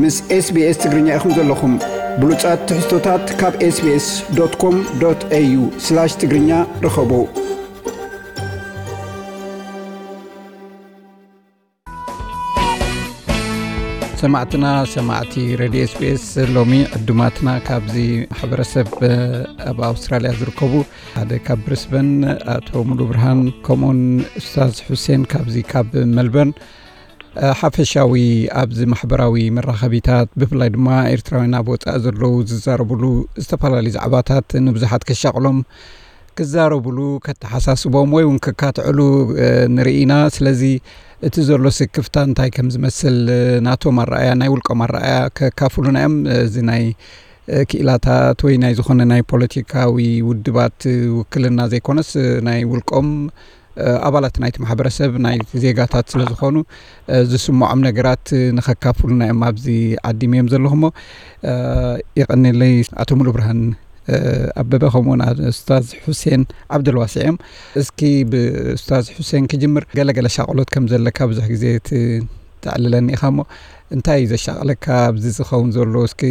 ምስ SBS ትግርኛ ኢኹም ዘለኹም። ብሉጻት ትሕዝቶታት ካብ SBS.com.au/ትግርኛ ርኸቡ። ሰማዕትና፣ ሰማዕቲ ሬድዮ SBS፣ ሎሚ ዕዱማትና ካብዚ ማሕበረሰብ ኣብ ኣውስትራልያ ዝርከቡ ሓደ ካብ ብሪስበን ኣቶ ሙሉ ብርሃን፣ ከምኡውን ኡስታዝ ሑሴን ካብዚ ካብ መልበርን፣ ሓፈሻዊ ኣብዚ ማሕበራዊ መራኸቢታት ብፍላይ ድማ ኤርትራውያን ኣብ ወጻኢ ዘለዉ ዝዛረብሉ ዝተፈላለዩ ዛዕባታት ንብዙሓት ከሻቕሎም፣ ክዛረብሉ፣ ከተሓሳስቦም ወይ እውን ከካትዕሉ ንርኢ ኢና። ስለዚ እቲ ዘሎ ስክፍታ እንታይ ከም ዝመስል ናቶም ኣረኣያ፣ ናይ ውልቆም ኣረኣያ ከካፍሉና እዮም። እዚ ናይ ክኢላታት ወይ ናይ ዝኾነ ናይ ፖለቲካዊ ውድባት ውክልና ዘይኮነስ ናይ ውልቆም ኣባላት ናይቲ ማሕበረሰብ ናይ ዜጋታት ስለ ዝኾኑ ዝስምዖም ነገራት ንኸካፍሉና እዮም ኣብዚ ዓዲም እዮም ዘለኹሞ። ይቐኒለይ ኣቶ ሙሉ ብርሃን ኣበበ ከምኡውን ኡስታዝ ሑሴን ዓብደልዋሲዕ እዮም። እስኪ ብኡስታዝ ሑሴን ክጅምር። ገለገለ ሻቕሎት ከም ዘለካ ብዙሕ ግዜ ት- ተዕልለኒ ኢኻ እሞ እንታይ እዩ ዘሻቕለካ ኣብዚ ዝኸውን ዘሎ? እስኪ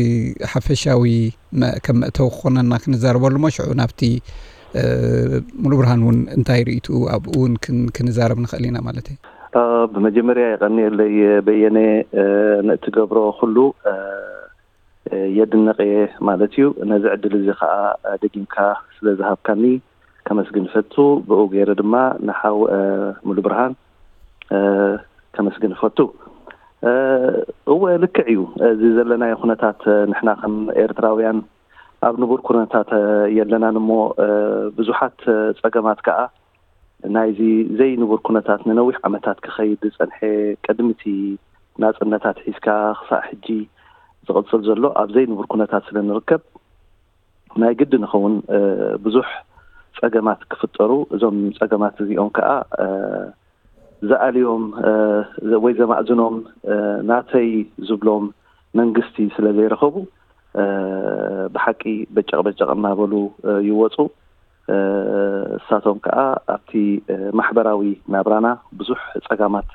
ሓፈሻዊ ከም መእተዊ ክኾነና ክንዛረበሉ እሞ ሽዑ ናብቲ ሙሉ ብርሃን እውን እንታይ ርእይትኡ ኣብኡ እውን ክንዛረብ ንኽእል ኢና ማለት እዩ። ብመጀመርያ የቐንየለይ በየነ፣ ንእትገብሮ ኩሉ የድንቕ እየ ማለት እዩ። ነዚ ዕድል እዚ ከዓ ደጊምካ ስለ ዝሃብካኒ ከመስግን ፈቱ። ብኡ ገይረ ድማ ንሓው ሙሉ ብርሃን ከመስግን ፈቱ። እወ፣ ልክዕ እዩ። እዚ ዘለናዮ ኩነታት ንሕና ከም ኤርትራውያን ኣብ ንቡር ኩነታት የለናን እሞ ብዙሓት ጸገማት ከዓ ናይዚ ዘይንቡር ኩነታት ንነዊሕ ዓመታት ክኸይድ ዝጸንሐ፣ ቅድሚ እቲ ናጽነታት ሒዝካ ክሳዕ ሕጂ ዝቕጽል ዘሎ ኣብ ዘይንቡር ኩነታት ስለ ንርከብ፣ ናይ ግዲ ንኸውን ብዙሕ ጸገማት ክፍጠሩ፣ እዞም ጸገማት እዚኦም ከኣ ዝኣልዮም ወይ ዘማእዝኖም ናተይ ዝብሎም መንግስቲ ስለ ዘይረኸቡ፣ ብሓቂ በጨቕ በጨቕ እናበሉ ይወፁ። እሳቶም ከዓ ኣብቲ ማሕበራዊ ናብራና ብዙሕ ፀጋማት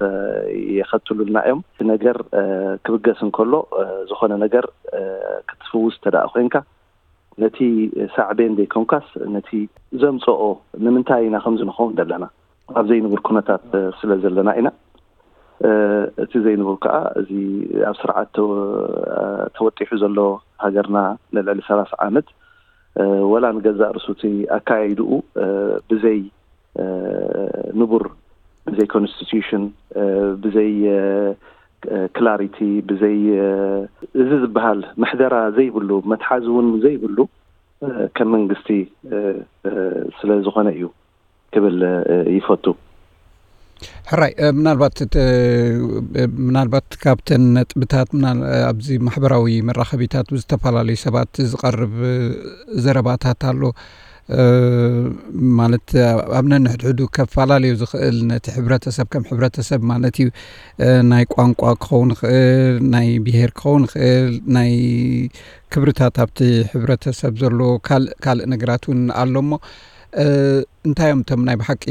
የኸትሉልና እዮም። እቲ ነገር ክብገስ እንከሎ፣ ዝኾነ ነገር ክትፍውስ እንተ ደኣ ኮይንካ፣ ነቲ ሳዕቤን ዘይኮንካስ ነቲ ዘምፀኦ፣ ንምንታይ ኢና ከምዚ ንኸውን ዘለና፣ ኣብ ዘይንቡር ኩነታት ስለ ዘለና ኢና። እቲ ዘይንቡር ከዓ እዚ ኣብ ስርዓት ተወጢሑ ዘሎ ሃገርና ንልዕሊ ሰላሳ ዓመት ወላ ንገዛእ ርእሱ እቲ ኣካያይድኡ ብዘይ ንቡር፣ ብዘይ ኮንስቲቱሽን፣ ብዘይ ክላሪቲ፣ ብዘይ እዚ ዝበሃል ምሕደራ ዘይብሉ፣ መትሓዚ እውን ዘይብሉ ከም መንግስቲ ስለ ዝኾነ እዩ ክብል ይፈቱ። ሕራይ፣ ምናልባት ምናልባት ካብተን ነጥብታት ኣብዚ ማሕበራዊ መራኸቢታት ብዝተፈላለዩ ሰባት ዝቐርብ ዘረባታት ኣሎ። ማለት ኣብ ነንሕድሕዱ ከፈላለዩ ዝኽእል፣ ነቲ ሕብረተሰብ ከም ሕብረተሰብ ማለት እዩ፣ ናይ ቋንቋ ክኸውን ይኽእል፣ ናይ ብሄር ክኸውን ይኽእል፣ ናይ ክብርታት ኣብቲ ሕብረተሰብ ዘሎ ካልእ ካልእ ነገራት እውን ኣሎ እሞ እንታይ እዮም እቶም ናይ ብሓቂ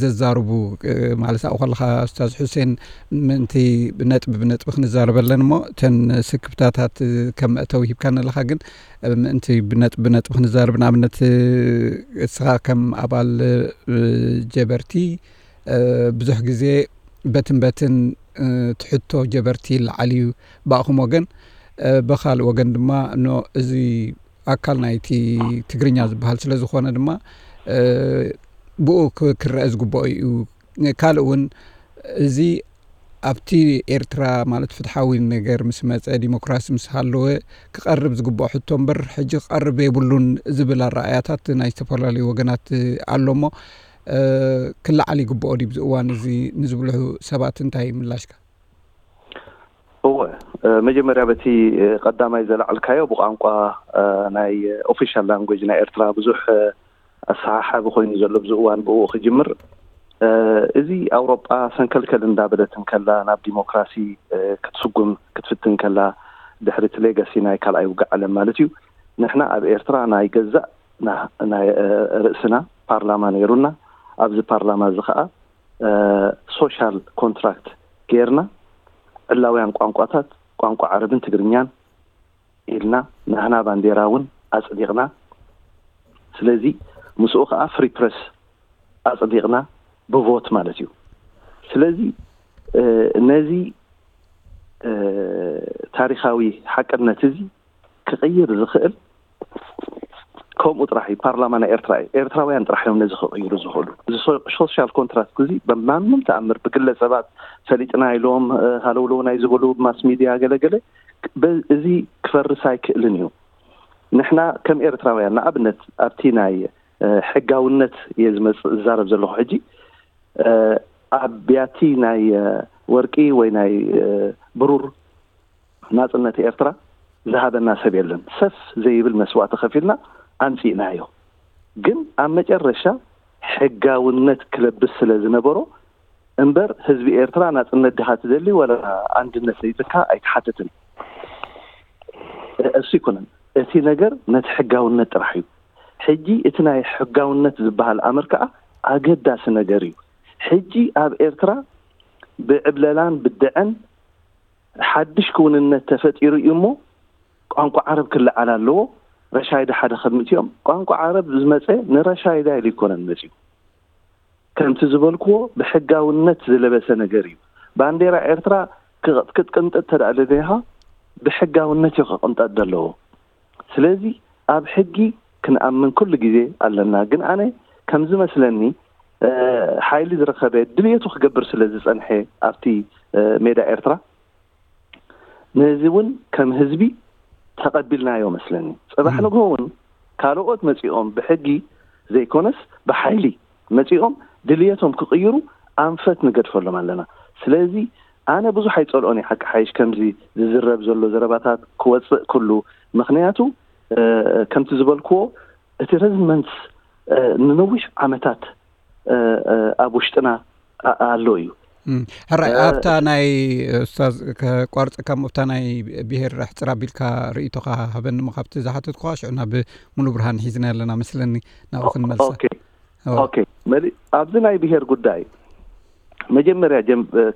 ዘዛርቡ? ማለት ኣብኡ ከለኻ ኡስታዝ ሑሴን፣ ምእንቲ ብነጥቢ ብነጥቢ ክንዛረበለን እሞ እተን ስክፍታታት ከም መእተዊ ሂብካኒ ኣለኻ። ግን ምእንቲ ብነጥቢ ብነጥቢ ክንዛረብ፣ ንኣብነት እስኻ ከም ኣባል ጀበርቲ ብዙሕ ግዜ በትን በትን ትሕቶ ጀበርቲ ይለዓል እዩ ብኣኹም ወገን። ብኻልእ ወገን ድማ ኖ እዚ ኣካል ናይቲ ትግርኛ ዝበሃል ስለ ዝኾነ ድማ ብኡ ክረአ ዝግብኦ እዩ። ካልእ እውን እዚ ኣብቲ ኤርትራ ማለት ፍትሓዊ ነገር ምስ መፀ፣ ዲሞክራሲ ምስ ሃለወ ክቐርብ ዝግብኦ ሕቶ እምበር ሕጂ ክቐርብ የብሉን ዝብል ኣረኣያታት ናይ ዝተፈላለዩ ወገናት ኣሎ እሞ ክለዓል ይግብኦ ድዩ ብዚ እዋን እዚ ንዝብሉ ሰባት እንታይ ምላሽካ? እወ፣ መጀመርያ በቲ ቀዳማይ ዘለዓልካዮ ብቋንቋ ናይ ኦፊሻል ላንጉጅ ናይ ኤርትራ ብዙሕ ኣሰሓሓቢ ኮይኑ ዘሎ ብዚ እዋን ብኡ ክጅምር። እዚ ኣውሮጳ ሰንከልከል እንዳበለት እንከላ ናብ ዲሞክራሲ ክትስጉም ክትፍትን ከላ ድሕሪ እቲ ሌጋሲ ናይ ካልኣይ ውግእ ዓለም ማለት እዩ። ንሕና ኣብ ኤርትራ ናይ ገዛእ ናይ ርእስና ፓርላማ ነይሩና። ኣብዚ ፓርላማ እዚ ከዓ ሶሻል ኮንትራክት ጌርና ዕላውያን ቋንቋታት ቋንቋ ዓረብን ትግርኛን ኢልና፣ ናህና ባንዴራ እውን ኣጽዲቕና። ስለዚ ምስኡ ከዓ ፍሪ ፕረስ ኣጽዲቕና ብቮት ማለት እዩ። ስለዚ ነዚ ታሪኻዊ ሓቅነት እዚ ክቕይር ዝኽእል ከምኡ ጥራሕ እዩ። ፓርላማ ናይ ኤርትራ እዩ። ኤርትራውያን ጥራሕ እዮም ነዚ ክቕይሩ ዝኽእሉ። እዚ ሶሻል ኮንትራክት እዚ ብማንም ተኣምር ብግለ ሰባት ፈሊጥና ኢሎም ሃለውለው ናይ ዝብሉ፣ ብማስ ሚድያ ገለገለ፣ እዚ ክፈርስ ኣይክእልን እዩ። ንሕና ከም ኤርትራውያን ንኣብነት ኣብቲ ናይ ሕጋውነት እየ ዝመፅእ ዝዛረብ ዘለኹ ሕጂ፣ ኣብ ቢያቲ ናይ ወርቂ ወይ ናይ ብሩር ናጽነት ኤርትራ ዝሃበና ሰብ የለን። ሰፍ ዘይብል መስዋእቲ ከፊልና ኣምጺእናዮ። ግን ኣብ መጨረሻ ሕጋውነት ክለብስ ስለ ዝነበሮ እምበር፣ ህዝቢ ኤርትራ ናጽነት ድኻ ትደሊ ወላ ኣንድነት ዘይትካ ኣይትሓትትን። እሱ ይኮነን። እቲ ነገር ነቲ ሕጋውነት ጥራሕ እዩ። ሕጂ እቲ ናይ ሕጋውነት ዝበሃል ኣምር ከኣ ኣገዳሲ ነገር እዩ። ሕጂ ኣብ ኤርትራ ብዕብለላን ብድዐን ሓድሽ ክውንነት ተፈጢሩ እዩ እሞ፣ ቋንቋ ዓረብ ክለዓል ኣለዎ። ረሻይዳ ሓደ ከምእትኦም፣ ቋንቋ ዓረብ ዝመጸ ንረሻይዳ ኢሉ ይኮነን መጺኡ። ከምቲ ዝበልክዎ ብሕጋውነት ዝለበሰ ነገር እዩ። ባንዴራ ኤርትራ ክቕጥቅጥ እንተደኣ ደሊኻ፣ ብሕጋውነት እዩ ክቕንጠጥ ዘለዎ። ስለዚ ኣብ ሕጊ ክንኣምን ኩሉ ግዜ ኣለና። ግን ኣነ ከም ዝመስለኒ፣ ሓይሊ ዝረኸበ ድልየቱ ክገብር ስለ ዝጸንሐ ኣብቲ ሜዳ ኤርትራ፣ ነዚ እውን ከም ህዝቢ ተቐቢልናዮ መስለኒ። ጽባሕ ንግሆ እውን ካልኦት መጺኦም ብሕጊ ዘይኮነስ ብሓይሊ መጺኦም ድልየቶም ክቕይሩ ኣንፈት ንገድፈሎም ኣለና። ስለዚ ኣነ ብዙሕ ኣይጸልኦን እየ፣ ሓቂ ሓይሽ፣ ከምዚ ዝዝረብ ዘሎ ዘረባታት ክወጽእ ኩሉ። ምኽንያቱ ከምቲ ዝበልክዎ እቲ ረዝመንት ንነዊሕ ዓመታት ኣብ ውሽጥና ኣሎ እዩ። ሕራይ፣ ኣብታ ናይ ኡስታዝ፣ ከቋርጸካ እሞ፣ ኣብታ ናይ ብሄር ኣሕጽር ኣቢልካ ርእይቶኻ ሃበኒ እሞ፣ ካብቲ ዝሓተትኩኻ ሽዑ ናብ ሙሉ ብርሃን ሒዝና ኣለና መስለኒ፣ ናብኡ ክንመልሳ። ኦኬ። ኦኬ። መሊ ኣብዚ ናይ ብሄር ጉዳይ መጀመርያ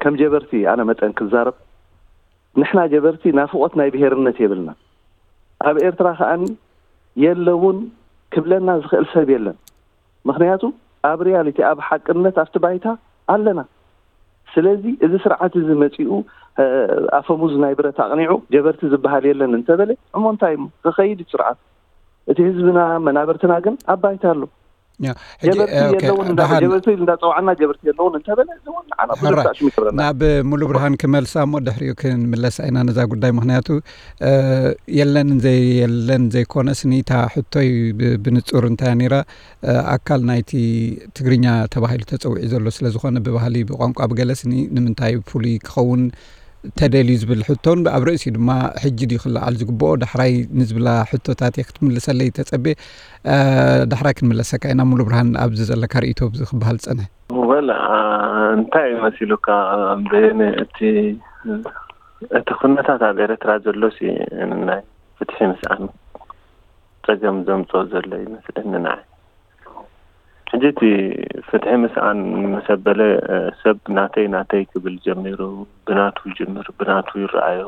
ከም ጀበርቲ ኣነ መጠን ክዛረብ፣ ንሕና ጀበርቲ ናፍቖት ናይ ብሄርነት የብልና። ኣብ ኤርትራ ከኣኒ የለውን ክብለና ዝኽእል ሰብ የለን። ምኽንያቱ ኣብ ሪያሊቲ፣ ኣብ ሓቅነት፣ ኣብቲ ባይታ ኣለና። ስለዚ እዚ ስርዓት እዚ መጺኡ ኣፈሙዝ ናይ ብረት ኣቕኒዑ ጀበርቲ ዝበሃል የለን እንተበለ፣ እሞ እንታይ እሞ ክኸይድ እዩ ስርዓት? እቲ ህዝብና መናብርትና ግን ኣብ ባይታ ኣሎ። ጀበርቲ የለውን እንዳ ጀበርቲ እንዳፀዋዕና ጀበርቲ የለውን እንተበለ፣ እዚ እውን ንዓና ብዙሕ ሕራይ። ሳዕሽም ይገብረና። ናብ ሙሉ ብርሃን ክመልሳ እሞ ድሕሪኡ ክንምለሳ ኢና ነዛ ጉዳይ። ምኽንያቱ የለን ዘይ የለን ዘይኮነስ፣ ኒታ ሕቶይ ብንጹር እንታይ ነይራ፣ ኣካል ናይቲ ትግርኛ ተባሂሉ ተጸዊዑ ዘሎ ስለ ዝኾነ፣ ብባህሊ ብቋንቋ ብገለስኒ ንምንታይ ፍሉይ ክኸውን ተደልዩ ዝብል ሕቶን፣ ኣብ ርእሲኡ ድማ ሕጂ ድዩ ክለዓል ዝግብኦ ዳሕራይ ንዝብላ ሕቶታት እየ ክትምልሰለይ ተጸቤ። ዳሕራይ ክንምለሰካ ኢና። ሙሉ ብርሃን፣ ኣብዚ ዘለካ ርእይቶ ኣብዚ ክበሃል ዝጸንሐ። ወላ እንታይ መሲሉካ? በየነ እቲ እቲ ኩነታት ኣብ ኤርትራ ዘሎ ሲ ናይ ፍትሒ ምስኣን ጸገም ዘምጽኦ ዘሎ ይመስለኒ ንዓይ። ሕጂ እቲ ፍትሒ ምስኣን ምስ ኣበለ፣ ሰብ ናተይ ናተይ ክብል ጀሚሩ፣ ብናቱ ይጅምር፣ ብናቱ ይረኣዮ።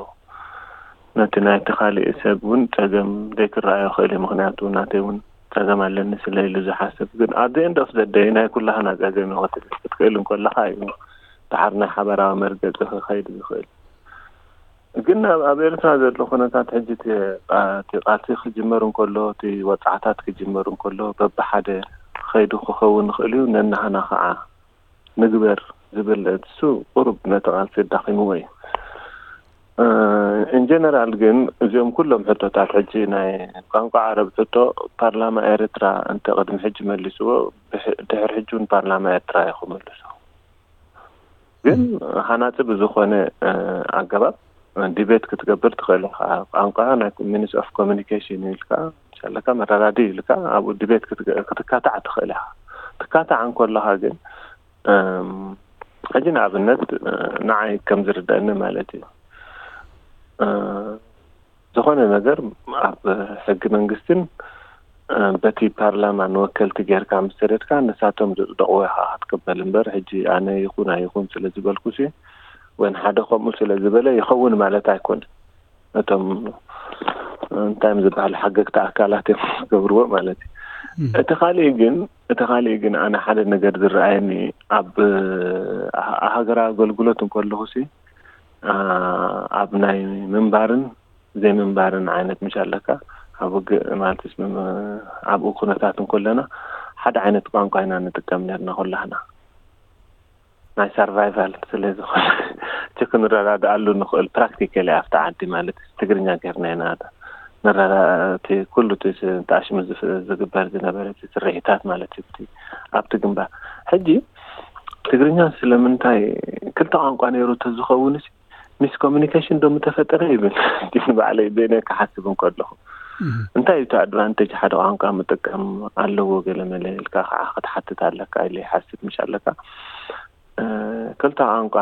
ነቲ ናይቲ ካሊእ ሰብ እውን ጸገም ዘይክረኣዮ ይኽእል እዩ። ምኽንያቱ ናተይ እውን ጸገም ኣለኒ ስለ ኢሉ ዝሓስብ። ግን at the end of the day ናይ ኩላህና ጸገም እዩ ክትብል ክትክእል እንከለኻ እዩ ደሓር ናይ ሓበራዊ መርገጺ ክኸይድ ዝኽእል። ግን ኣብ ኤርትራ ዘሎ ኩነታት ሕጂ እቲ ቃልሲ ክጅመር እንከሎ፣ እቲ ወጽዓታት ክጅመር እንከሎ በብሓደ ከይዱ ክኸውን ይኽእል እዩ። ነናህና ከዓ ንግበር ዝብል እሱ ቁሩብ ነቲ ቃልሲ ኣዳኺምዎ እዩ። ኢንጀነራል ግን እዚኦም ኩሎም ሕቶታት፣ ሕጂ ናይ ቋንቋ ዓረብ ሕቶ፣ ፓርላማ ኤርትራ እንተ ቅድሚ ሕጂ መሊስዎ፣ ድሕር ሕጂ እውን ፓርላማ ኤርትራ እዩ ክመልሶ። ግን ሃናጺ ብዝኾነ ኣገባብ ዲቤት ክትገብር ትኽእል ኢኻ። ቋንቋ ናይ ሚንስ ኦፍ ኮሚኒኬሽን ኢልካ፣ ዘለካ መረዳዲ ኢልካ ኣብኡ ዲቤት ክትካታዕ ትኽእል ኢኻ። ትካታዕ እንከለኻ ግን ሕጂ ንኣብነት ንዓይ ከም ዝርዳእኒ ማለት እዩ፣ ዝኾነ ነገር ኣብ ሕጊ መንግስትን በቲ ፓርላማ ንወከልቲ ጌርካ ምስ ሰደድካ ንሳቶም ዘጽደቕዎ ኢኻ ክትቅበል እምበር፣ ሕጂ ኣነ ይኹን ኣይኹን ስለ ዝበልኩሲ ወይን ሓደ ከምኡ ስለ ዝበለ ይኸውን ማለት ኣይኮነን። እቶም እንታይ እዮም ዝበሃል ሓገግቲ ኣካላት እዮም ዝገብርዎ ማለት እዩ። እቲ ካሊእ ግን እቲ ካሊእ ግን ኣነ ሓደ ነገር ዝረኣየኒ ኣብ ሃገራዊ ኣገልግሎት እንከለኹ ሲ ኣብ ናይ ምንባርን ዘይምንባርን ዓይነት ምሽ ኣለካ ኣብ ውግእ ማለት ኣብኡ ኩነታት እንከለና ሓደ ዓይነት ቋንቋ ኢና ንጥቀም ነርና ኩላህና ናይ survival ስለ ዝኾነ እቲ ክንረዳድኣሉ ንኽእል practically ኣብቲ ዓዲ ማለት ትግርኛ ጌርና ኢና ነረዳ እቲ ኩሉ እቲ ተኣሽሙ ዝግበር ዝነበረ ስርሒታት ማለት እዩ ኣብቲ ግንባር ሕጂ ትግርኛ ስለምንታይ ክልተ ቋንቋ ነይሩ ተዝኸውን miscommunication ዶ ምተፈጠረ ይብል ንባዕለይ በይነ ክሓስብ እንከለኹ እንታይ እዩ እቲ advantage ሓደ ቋንቋ ምጥቃም ኣለዎ ገለ መለ ኢልካ ከዓ ክትሓትት ኣለካ ኢለ ይሓስብ ምሽ ኣለካ ክልተ ቋንቋ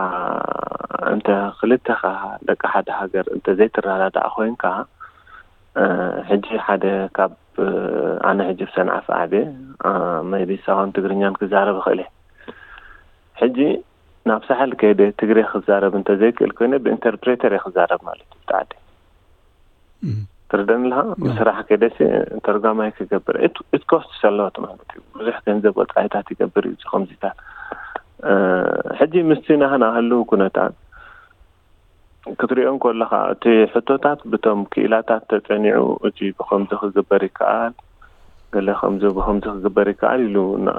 እንተ ክልተኻ ደቂ ሓደ ሃገር እንተ ዘይትረዳዳእ ኮይንካ ሕጂ ሓደ ካብ ኣነ ሕጂ ብሰንዓፈ ዓብየ maybe ሳዋን ትግርኛን ክዛረብ ይኽእል እየ ሕጂ ናብ ሳሕል ከይደ ትግሬ ክዛረብ እንተዘይክእል ኮይነ ብኢንተርፕሬተር እየ ክዛረብ ማለት እዩ ብጣዕዲ ትርደኒ ኣለኻ ስራሕ ከይደሲ ተርጓማይ ክገብር it costs a lot ማለት እዩ ብዙሕ ገንዘብ ወፃኢታት ይገብር እዩ ከምዚታት ሕጂ ምስቲ ናህና ህልው ኩነታት ክትሪኦ እንከለኻ እቲ ሕቶታት ብቶም ክኢላታት ተፀኒዑ እቲ ብከምዚ ክግበር ይከኣል ገለ ከምዚ ብከምዚ ክግበር ይከኣል ኢሉ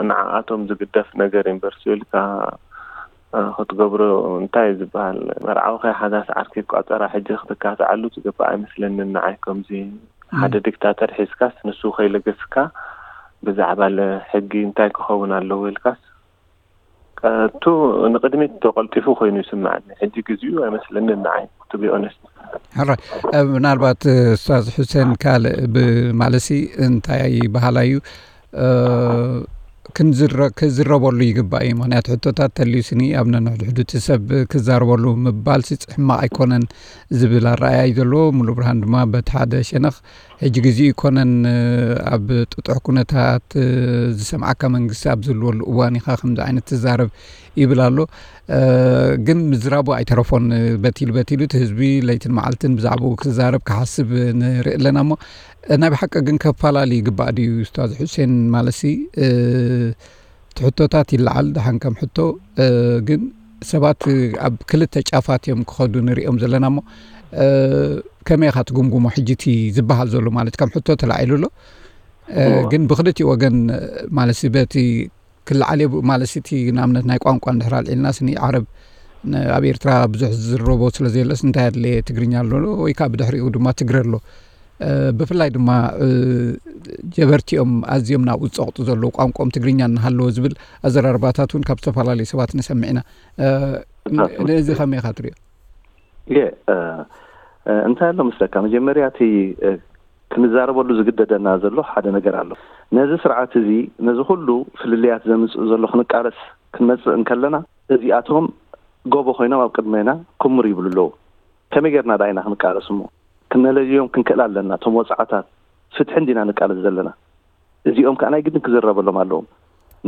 ንዓኣቶም ዝግደፍ ነገር ዩኒቨርሲቲ ኢልካ ክትገብሮ እንታይ እዩ ዝበሃል መርዓዊ ከይሓዛስ ዓርኪ ቆፀራ ሕጂ ክትካትዓሉ ዝግባእ ኣይመስለንን ንዓይ ከምዚ ሓደ ዲክታተር ሒዝካስ ንሱ ከይለገስካ ብዛዕባ ሕጊ እንታይ ክኸውን ኣለዎ ኢልካስ እቱ ንቅድሚት ተቀልጢፉ ኮይኑ ይስምዓኒ ሕጂ ግዜኡ ኣይመስለንን ንዓይ to be honest ሕራይ ምናልባት ኡስታዝ ሑሴን ካልእ ብማለሲ እንታይ በሃላ እዩ ክዝረበሉ ይግባእ እዩ ምክንያቱ ሕቶታት ተልዩ ስኒ ኣብ ነንሕድሕዱ እቲ ሰብ ክዛረበሉ ምባል ሲ ሕማቕ ኣይኮነን ዝብል ኣረኣያ እዩ ዘለዎ ሙሉ ብርሃን ድማ በቲ ሓደ ሸነኽ ሕጂ ግዜኡ ይኮነን ኣብ ጥጡሕ ኩነታት ዝሰምዓካ መንግስቲ ኣብ ዝህልወሉ እዋን ኢኻ ከምዚ ዓይነት ትዛረብ ይብል ኣሎ ግን ምዝራቡ ኣይተረፎን በቲሉ በቲሉ እቲ ህዝቢ ለይትን መዓልትን ብዛዕባኡ ክዛረብ ክሓስብ ንርኢ ኣለና እሞ ናይ ብሓቂ ግን ከፈላለ ይግባእ ድዩ ኡስታዝ ሑሴን ማለሲ እቲ ሕቶታት ይለዓል ደሓን ከም ሕቶ ግን ሰባት ኣብ ክልተ ጫፋት እዮም ክኸዱ ንሪኦም ዘለና እሞ ከመይ ኢኻ ትጉምጉሞ ሕጂ እቲ ዝበሃል ዘሎ ማለት ከም ሕቶ ተላዒሉ ኣሎ ግን ብክልቲ ወገን ማለት በቲ ክለዓል ማለት እቲ ንኣብነት ናይ ቋንቋ እንድሕር ኣልዒልና ስኒ ዓረብ ኣብ ኤርትራ ብዙሕ ዝዝረቦ ስለ ዘየለስ እንታይ ኣድለየ ትግርኛ ኣሎ ወይ ከዓ ብድሕሪኡ ድማ ትግረ ኣሎ ብፍላይ ድማ ጀበርቲኦም ኣዝዮም ናብኡ ዝፀቕጡ ዘለዉ ቋንቋኦም ትግርኛ እናሃለዎ ዝብል ኣዘራርባታት እውን ካብ ዝተፈላለዩ ሰባት ንሰምዕ ኢና ነዚ ከመይ ኢኻ ትሪኦ የ እንታይ ኣሎ መስለካ መጀመርያ እቲ ክንዛረበሉ ዝግደደና ዘሎ ሓደ ነገር ኣሎ ነዚ ስርዓት እዚ ነዚ ኩሉ ፍልልያት ዘምፅእ ዘሎ ክንቃለስ ክንመፅእ እንከለና እዚኣቶም ጎቦ ኮይኖም ኣብ ቅድሜና ክምር ይብሉ ኣለዉ ከመይ ጌርና ዳይና ክንቃለስ እሞ ክነለልዮም ክንክእል ኣለና እቶም ወፃዕታት ፍትሒ እንዲና ንቃለስ ዘለና እዚኦም ከዓ ናይ ግድን ክዝረበሎም ኣለዎም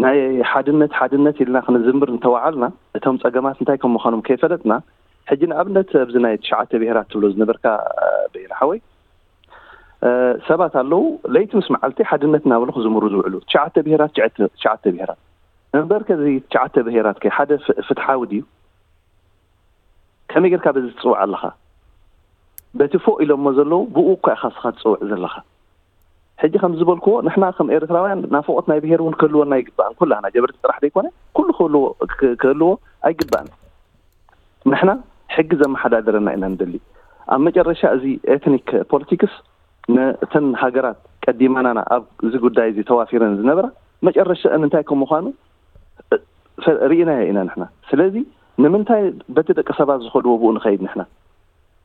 ናይ ሓድነት ሓድነት ኢልና ክንዝምር እንተወዓልና እቶም ፀገማት እንታይ ከም ምዃኖም ከይፈለጥና ሕጂ ንኣብነት ኣብዚ ናይ ትሽዓተ ብሄራት ትብሎ ዝነበርካ ብሄር ሓወይ ሰባት ኣለዉ ለይቲ ምስ መዓልቲ ሓድነት እናበሉ ክዝምሩ ዝውዕሉ ትሽዓተ ብሄራት ትሽዓተ ብሄራት እምበር ከዚ ትሽዓተ ብሄራት ከ ሓደ ፍትሓዊ ድዩ ከመይ ጌርካ በዚ ትፅውዕ ኣለኻ በቲ ፎእ ኢሎሞ ዘለዉ ብኡ እኳ ኢኻ ስኻ ትፅውዕ ዘለኻ ሕጂ ከም ዝበልክዎ ንሕና ከም ኤርትራውያን ናፍቆት ናይ ብሄር እውን ክህልወና ይግባእን ኩላህና ጀበርቲ ጥራሕ ዘይኮነ ኩሉ ክህልዎ ክህልዎ ኣይግባእን ንሕና ሕጊ ዘመሓዳድረና ኢና ንደሊ ኣብ መጨረሻ እዚ ኤትኒክ ፖለቲክስ ነተን ሃገራት ቀዲማናና ኣብ እዚ ጉዳይ እዚ ተዋፊረን ዝነበራ መጨረሻአን እንታይ ከም ምዃኑ ርኢናዮ ኢና ንሕና ስለዚ ንምንታይ በቲ ደቂ ሰባት ዝኸድዎ ብኡ ንኸይድ ንሕና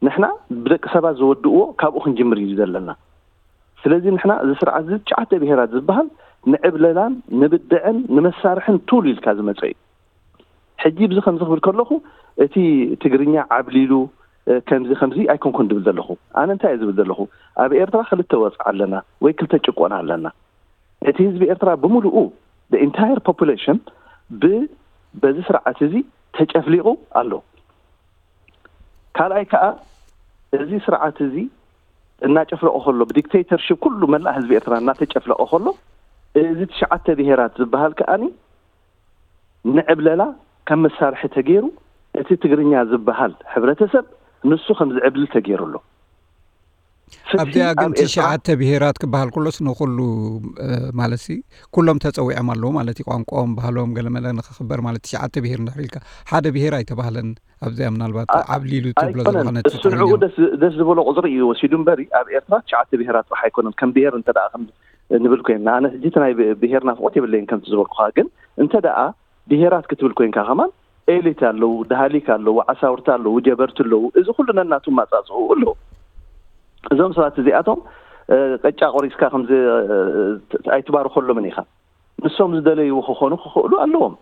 ንሕና ብደቂ ሰባት ዝወድእዎ ካብኡ ክንጅምር እዩ ዘለና ስለዚ ንሕና እዚ ስርዓት እዚ ትሽዓተ ብሄራት ዝበሃል ንዕብለላን ንብድዕን ንመሳርሕን ቱል ኢልካ ዝመፀ እዩ ሕጂ ብዚ ከምዚ ክብል ከለኹ እቲ ትግርኛ ዓብሊሉ ከምዚ ከምዚ ኣይኮንኩን ድብል ዘለኹ ኣነ እንታይ እየ ዝብል ዘለኹ ኣብ ኤርትራ ክልተ ወፅዓ ኣለና ወይ ክልተ ጭቆና ኣለና እቲ ህዝቢ ኤርትራ ብምሉኡ ኢንታየር ፖፑሌሽን ብ በዚ ስርዓት እዚ ተጨፍሊቑ ኣሎ ካልኣይ ከዓ እዚ ስርዓት እዚ እናጨፍለቐ ከሎ፣ ብዲክቴተርሽፕ ኩሉ መላእ ህዝቢ ኤርትራ እናተጨፍለቐ ከሎ፣ እዚ ትሽዓተ ብሄራት ዝበሃል ከኣኒ ንዕብለላ ከም መሳርሒ ተገይሩ፣ እቲ ትግርኛ ዝበሃል ሕብረተሰብ ንሱ ከም ዝዕብል ተገይሩ ኣሎ። ፍትሒ ኣብዚኣ ግን ኣብ ኤርትራ ትሽዓተ ብሄራት ክበሃል ከሎስ ንኹሉ ማለት ኩሎም ተፀዊዖም ኣለዉ ማለት እዩ። ቋንቋኦም፣ ባህሎም፣ ገለመለ ንክኽበር ማለት ትሽዓተ ብሄር እንድሕር ኢልካ ሓደ ብሄር ኣይተባህለን። ኣብዚኣ ምናልባት ዓብሊሉ ትብሎ ኣይኮነን። ዝኾነ እሱ ንዕኡ ደስ ዝበሎ ቁፅሪ እዩ ወሲዱ እምበሪ፣ ኣብ ኤርትራ ትሽዓተ ብሄራት ጥራሕ ኣይኮነን። ከም ብሄር እንተ ደኣ ከም ንብል ኮይንና፣ ኣነ ሕጂ እቲ ናይ ብሄር ናፍቆት የብለይን ከምቲ ዝበልኩኻ። ግን እንተ ደኣ ብሄራት ክትብል ኮይንካ ከማን ኤሊት ኣለዉ፣ ዳህሊክ ኣለዉ፣ ዓሳውርቲ ኣለዉ፣ ጀበርቲ ኣለዉ። እዚ ኩሉ ነናቱ ማጻጽኡ ኣለዉ። እዞም ሰባት እዚኣቶም ቀጫ ቆሪስካ ከምዚ ኣይትባርኸሎምን ኢኻ። ንሶም ዝደለይዎ ክኾኑ ክኽእሉ ኣለዎም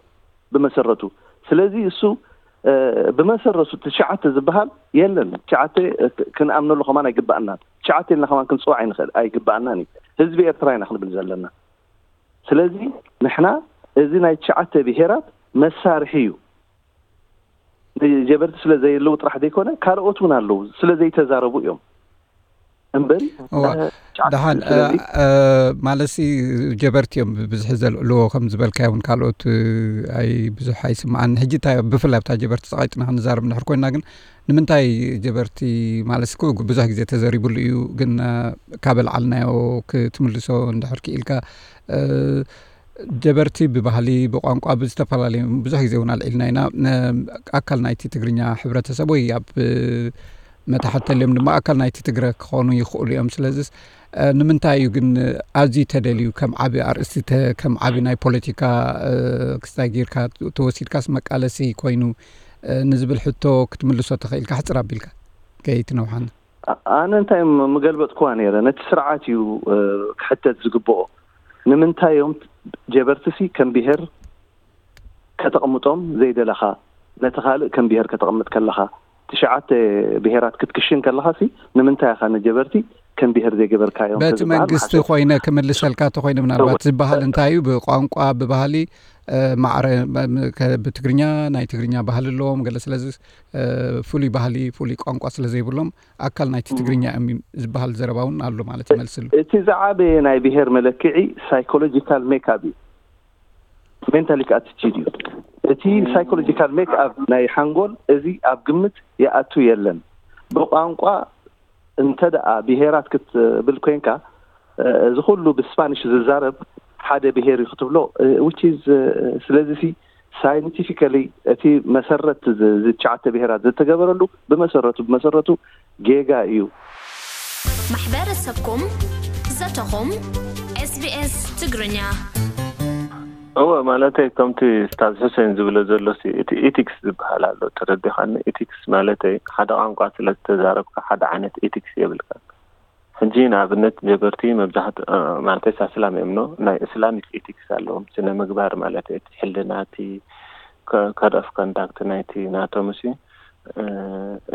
ብመሰረቱ። ስለዚ እሱ ብመሰረቱ ትሽዓተ ዝበሃል የለን። ትሽዓተ ክንኣምነሉ ከማን ኣይግባኣናን። ትሽዓተ ኢልና ከማን ክንፅዋዕ ኣይንኽእል ኣይግባኣናን እዩ። ህዝቢ ኤርትራ ኢና ክንብል ዘለና። ስለዚ ንሕና እዚ ናይ ትሽዓተ ብሄራት መሳርሒ እዩ። ጀበርቲ ስለ ዘየለዉ ጥራሕ ዘይኮነ ካልኦት እውን ኣለዉ ስለ ዘይተዛረቡ እዮም እምበሪ እዋ ደሓን ማለሲ ጀበርቲ እዮም ብዝሒ ዘልዕልዎ ከም ዝበልካዮ እውን ካልኦት ኣይ ብዙሕ ኣይስምዓን። ሕጂ እንታይ ብፍላይ ኣብታ ጀበርቲ ፀቓይጥና ክንዛረብ እንድሕር ኮይና ግን ንምንታይ ጀበርቲ ማለት እኮ ብዙሕ ግዜ ተዘሪብሉ እዩ፣ ግን ካብ ኣልዓልናዮ ክትምልሶ እንድሕር ክኢልካ ጀበርቲ ብባህሊ ብቋንቋ ብዝተፈላለዩ ብዙሕ ግዜ እውን ኣልዒልና ኢና። ኣካል ናይቲ ትግርኛ ሕብረተሰብ ወይ ኣብ መታሕት ተልዮም ድማ ኣካል ናይቲ ትግረ ክኾኑ ይኽእሉ እዮም። ስለዚስ ንምንታይ እዩ ግን ኣዝዩ ተደልዩ ከም ዓቢ ኣርእስቲ ከም ዓቢ ናይ ፖለቲካ ክስታይ ጌርካ ተወሲድካስ መቃለሲ ኮይኑ ንዝብል ሕቶ ክትምልሶ ተኽኢልካ ሕፅር ኣቢልካ ከይትነውሓና። ኣነ እንታይ ምገልበጥኩዋ ነይረ፣ ነቲ ስርዓት እዩ ክሕተት ዝግብኦ። ንምንታይ እዮም ጀበርትሲ ከም ብሄር ከተቕምጦም ዘይደለኻ፣ ነቲ ካልእ ከም ብሄር ከተቕምጥ ከለኻ፣ ትሽዓተ ብሄራት ክትክሽን ከለኻ ሲ ንምንታይ ኢኻ ንጀበርቲ ከም ብሄር ዘይገበርካዮም? በቲ መንግስቲ ኮይነ ክምልሰልካ ተኮይነ ምናልባት ዝበሃል እንታይ እዩ ብቋንቋ ብባህሊ ማዕረ ብትግርኛ ናይ ትግርኛ ባህሊ ኣለዎም ገለ ስለዚ ፍሉይ ባህሊ ፍሉይ ቋንቋ ስለ ዘይብሎም ኣካል ናይቲ ትግርኛ እዮም ዝበሃል ዘረባ እውን ኣሎ ማለት ይመልስሉ። እቲ ዝዓበየ ናይ ብሄር መለክዒ ሳይኮሎጂካል ሜክኣፕ እዩ፣ ሜንታሊክ ኣቲቲድ እዩ። እቲ ሳይኮሎጂካል ሜክኣፕ ናይ ሓንጎል እዚ ኣብ ግምት ይኣቱ የለን። ብቋንቋ እንተ ደኣ ብሄራት ክትብል ኮይንካ እዚ ኩሉ ብስፓኒሽ ዝዛረብ ሓደ ብሄር እዩ ክትብሎ which is ስለዚ ሲ ሳይንቲፊካሊ እቲ መሰረት እዚ ትሽዓተ ብሄራት ዝተገበረሉ ብመሰረቱ ብመሰረቱ ጌጋ እዩ። ማሕበረሰብኩም ዘተኹም ኤስቢኤስ ትግርኛ እወ ማለተይ ከምቲ ስታዝ ሑሴን ዝብሎ ዘሎ ሲ እቲ ኢቲክስ ዝበሃል ኣሎ ተረዲኻኒ። ኢቲክስ ማለተይ ሓደ ቋንቋ ስለ ዝተዛረብካ ሓደ ዓይነት ኢቲክስ የብልካ። ሕጂ ንኣብነት ጀበርቲ መብዛሕት ማለተይ ሳስላም እዮም ኖ ናይ እስላሚክ ኢቲክስ ኣለዎም ስነ ምግባር ማለት እቲ ሕልና እቲ ኮድ ኦፍ ኮንዳክት ናይቲ ናቶም ሲ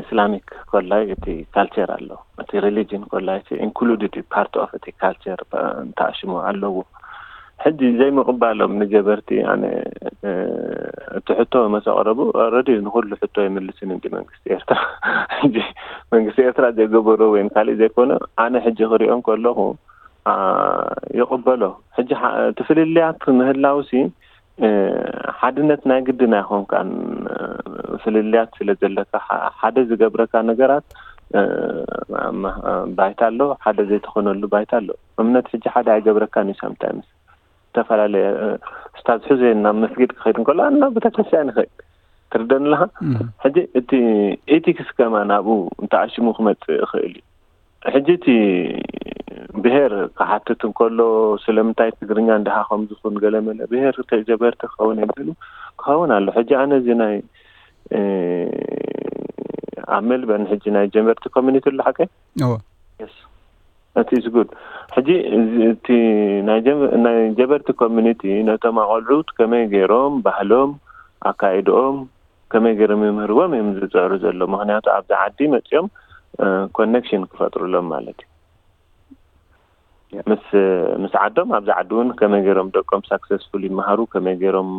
እስላሚክ ኮላይ እቲ ካልቸር ኣሎ እቲ ሪሊጅን ኮላይ ኢንክሉድድ ዩ ፓርት ኦፍ እቲ ካልቸር ተኣሽሞ ኣለዎ። ሕጂ ዘይምቕባሎም ንጀበርቲ ኣነ እቲ ሕቶ መሰቕረቡ ረዲ ንኩሉ ሕቶ ይምልስን እንዲ መንግስቲ ኤርትራ ሕጂ መንግስቲ ኤርትራ ዘይገበሮ ወይም ካሊእ ዘይኮነ ኣነ ሕጂ ክሪኦም ከለኹ ይቕበሎ። ሕጂ ትፍልልያት ምህላውሲ ሓድነት ናይ ግድን ኣይኾንካን። ፍልልያት ስለ ዘለካ ሓደ ዝገብረካ ነገራት ባይታ ኣሎ፣ ሓደ ዘይትኾነሉ ባይታ ኣሎ። እምነት ሕጂ ሓደ ኣይገብረካን እዩ። ሳምታይምስ ዝተፈላለየ ስታዝ ሑዜን ናብ መስጊድ ክኸይድ እንከሎ ኣና ቤተክርስትያን ይኸይድ ትርደን ኣለኻ። ሕጂ እቲ ኤቲክስ ከማን ኣብኡ እንተኣሽሙ ክመፅእ ይኽእል እዩ። ሕጂ እቲ ብሄር ክሓትት እንከሎ ስለምንታይ ትግርኛ እንድሃ ከም ዝኹን ገለመለ ብሄር ጀበርቲ ክኸውን የብሉ ክኸውን ኣሎ። ሕጂ ኣነ እዚ ናይ ኣብ ሜልበርን ሕጂ ናይ ጀበርቲ ኮሚኒቲ ኣሎ ሓቀይ እቲ is good። ሕጂ እቲ ናይ ጀበርቲ ኮሚኒቲ ነቶም ኣቆልዑት ከመይ ገይሮም ባህሎም ኣካይድኦም ከመይ ገይሮም ይምህርዎም እዮም ዝፅዕሩ ዘሎ። ምክንያቱ ኣብዚ ዓዲ መፅኦም ኮኔክሽን ክፈጥሩሎም ማለት እዩ። ምስ ምስ ዓዶም ኣብዚ ዓዲ እውን ከመይ ገይሮም ደቆም ሳክሰስፉል ይመሃሩ፣ ከመይ ገይሮም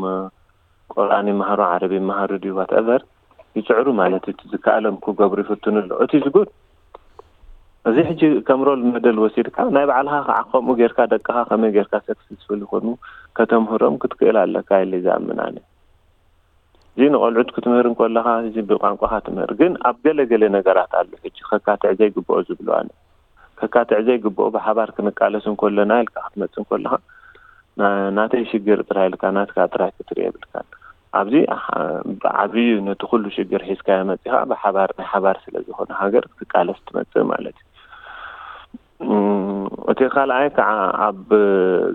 ቁርኣን ይመሃሩ፣ ዓረብ ይመሃሩ ድዩ ዋትኤቨር ይፅዕሩ ማለት እቲ ዝከኣሎም ክገብሩ ይፍትኑ ኣሎ። እቲ ዝጉድ እዚ ሕጂ ከም ሮል መደል ወሲድካ ናይ ባዕልኻ ከዓ ከምኡ ጌርካ ደቅኻ ከመይ ጌርካ ሰክሰስፉል ይኾኑ ከተምህሮም ክትክእል ኣለካ ኢለ ዝኣምን ኣነ። እዚ ንቆልዑት ክትምህር እንከለኻ እዚ ብቋንቋኻ ትምህር። ግን ኣብ ገለ ገለ ነገራት ኣሎ ሕጂ ከካትዕ ዘይግብኦ ዝብሎ ኣነ። ከካትዕ ዘይግብኦ ብሓባር ክንቃለስ እንከለና ኢልካ ክትመጽእ እንከለኻ ና- ናተይ ሽግር ጥራይ ኢልካ ናትካ ጥራይ ክትርኢ የብልካን። ኣብዚ ሓ- ብዓብዩ ነቲ ኩሉ ሽግር ሒዝካዮ መጺኻ ብሓባር ናይ ሓባር ስለ ዝኾነ ሃገር ክትቃለስ ትመጽእ ማለት እዩ። እም፣ እቲ ካልኣይ ከዓ ኣብ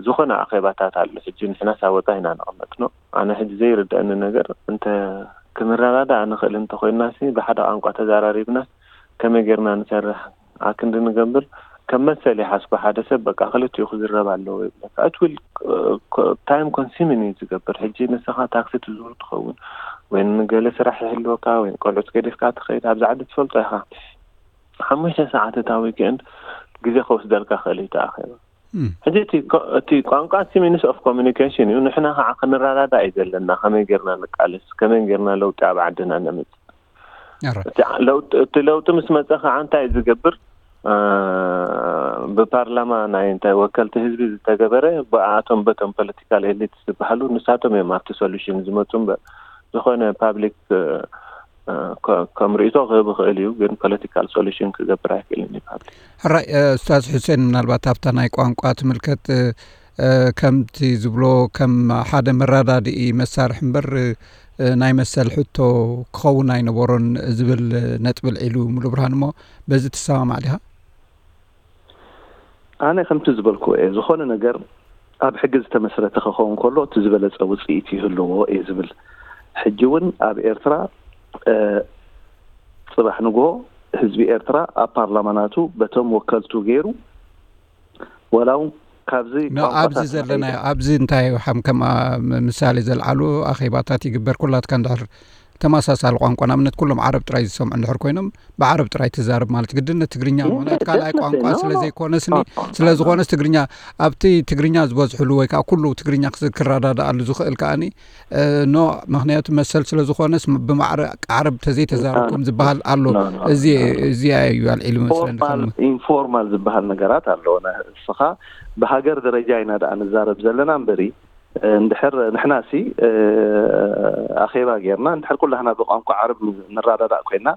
ዝኾነ ኣኼባታት ኣሎ። ሕጂ ንሕና ሳወጣ ኢና ንቕመጥ ነው። ኣነ ሕጂ ዘይርድአኒ ነገር እንተ ክንረዳዳእ ንኽእል እንተኮይናሲ ብሓደ ቋንቋ ተዛራሪብናስ ከመይ ጌርና ንሰርሕ ኣክንዲ ንገብር ከም መሰል ይሓስቦ ሓደ ሰብ በቃ ክልቲኡ ክዝረብ ኣለዎ ይብለካ። It will time consuming እዩ ዝገብር። ሕጂ ንስኻ ታክሲ ትዝውር ትኸውን ወይ ንገለ ስራሕ ይህልወካ ወይ ቆልዑት ገዲፍካ ትኸይድ ኣብዚ ዓዲ ትፈልጦ ኢኻ። ሓሙሽተ ሰዓት እታ ዊክኤንድ ግዜ ከወስደልካ ክእል እዩ ተኣኺባ። ሕጂ እቲ ቋንቋ እቲ ሚንስ ኦፍ ኮሚኒኬሽን እዩ። ንሕና ከዓ ክንረዳዳ እዩ ዘለና። ከመይ ጌርና ንቃለስ፣ ከመይ ጌርና ለውጢ ኣብ ዓድና ነምፅእ። እቲ ለውጢ ምስ መፀ ከዓ እንታይ እዩ ዝገብር? ብፓርላማ ናይ እንታይ ወከልቲ ህዝቢ ዝተገበረ ብኣቶም በቶም ፖለቲካል ኤሊት ዝበሃሉ ንሳቶም እዮም ኣብቲ ሶሉሽን ዝመፁ እምበር ዝኾነ ፓብሊክ ከም ርእቶ ክህብ ይኽእል እዩ፣ ግን ፖለቲካል ሶሉሽን ክገብር ኣይክእልን እዩ ፓብሊክ። ሕራይ። ኡስታዝ ሑሴን፣ ምናልባት ኣብታ ናይ ቋንቋ ትምልከት ከምቲ ዝብሎ ከም ሓደ መረዳድኢ መሳርሒ እምበር ናይ መሰል ሕቶ ክኸውን ኣይነበሮን ዝብል ነጥቢ ኣልዒሉ ሙሉ ብርሃን። እሞ በዚ ትሰማማዕ ዲኻ? ኣነ ከምቲ ዝበልክዎ እየ፣ ዝኾነ ነገር ኣብ ሕጊ ዝተመስረተ ክኸውን ከሎ እቲ ዝበለፀ ውፅኢት ይህልዎ እየ ዝብል። ሕጂ እውን ኣብ ኤርትራ ፅባሕ ንግሆ ህዝቢ ኤርትራ ኣብ ፓርላማ ናቱ በቶም ወከልቱ ገይሩ ወላ እውን ካብዚ ኣብዚ ዘለናዮ ኣብዚ እንታይ ሓም ከም ምሳሌ ዘልዓሉ ኣኼባታት ይግበር። ኩላትካ እንድሕር ተመሳሳሊ ቋንቋ ንኣብነት ኩሎም ዓረብ ጥራይ ዝሰምዑ እንድሕር ኮይኖም ብዓረብ ጥራይ ትዛረብ ማለት ግድነት ትግርኛ ምክንያት ካልኣይ ቋንቋ ስለ ዘይኮነስኒ ስለ ዝኾነስ ትግርኛ ኣብቲ ትግርኛ ዝበዝሕሉ ወይ ከዓ ኩሉ ትግርኛ ክረዳድኣሉ ዝኽእል ከዓኒ ኖ ምክንያቱ መሰል ስለ ዝኾነስ ብማዕረ ዓረብ ተዘይተዛረብኩም ዝበሃል ኣሎ። እዚ እዚኣ እዩ ኣልዒሉ መስለኒ። ኢንፎርማል ዝበሃል ነገራት ኣሎ። ንስኻ ብሃገር ደረጃ ኢና ደኣ ንዛረብ ዘለና እምበሪ እንድሕር ንሕና ሲ ኣኼባ ጌርና እንድሕር ኩላህና ብቋንቋ ዓረብ ንራዳዳእ ኮይና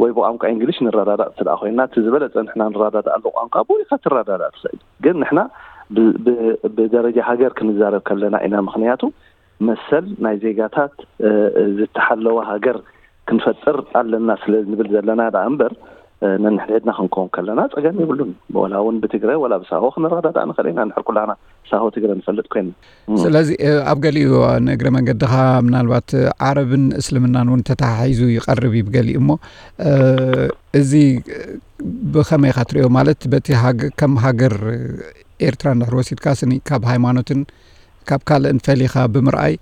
ወይ ብቋንቋ እንግሊሽ ንራዳዳእ ስለ ኮይና እቲ ዝበለፀ ንሕና ንራዳዳእ ኣሎ ቋንቋ ብኡ ኢኻ ትራዳዳእ ትኽእል። ግን ንሕና ብደረጃ ሃገር ክንዛረብ ከለና ኢና። ምክንያቱ መሰል ናይ ዜጋታት ዝተሓለወ ሃገር ክንፈጥር ኣለና ስለ ንብል ዘለና ደኣ እምበር ነንሕድሕድና ክንከውን ከለና ጸገም የብሉን። ወላ እውን ብትግረ ወላ ብሳሆ ክንረዳዳእ ንኽእል ኢና። ንሕር ኩላና ሳሆ ትግረ ንፈልጥ ኮይና። ስለዚ ኣብ ገሊኡ ንእግረ መንገድኻ ምናልባት ዓረብን እስልምናን እውን ተተሓሒዙ ይቐርብ እዩ ብገሊኡ። እሞ እዚ ብኸመይ ኢኻ ትሪኦ? ማለት በቲ ከም ሃገር ኤርትራ እንድሕር ወሲድካ ስኒ ካብ ሃይማኖትን ካብ ካልእን ፈሊኻ ብምርኣይ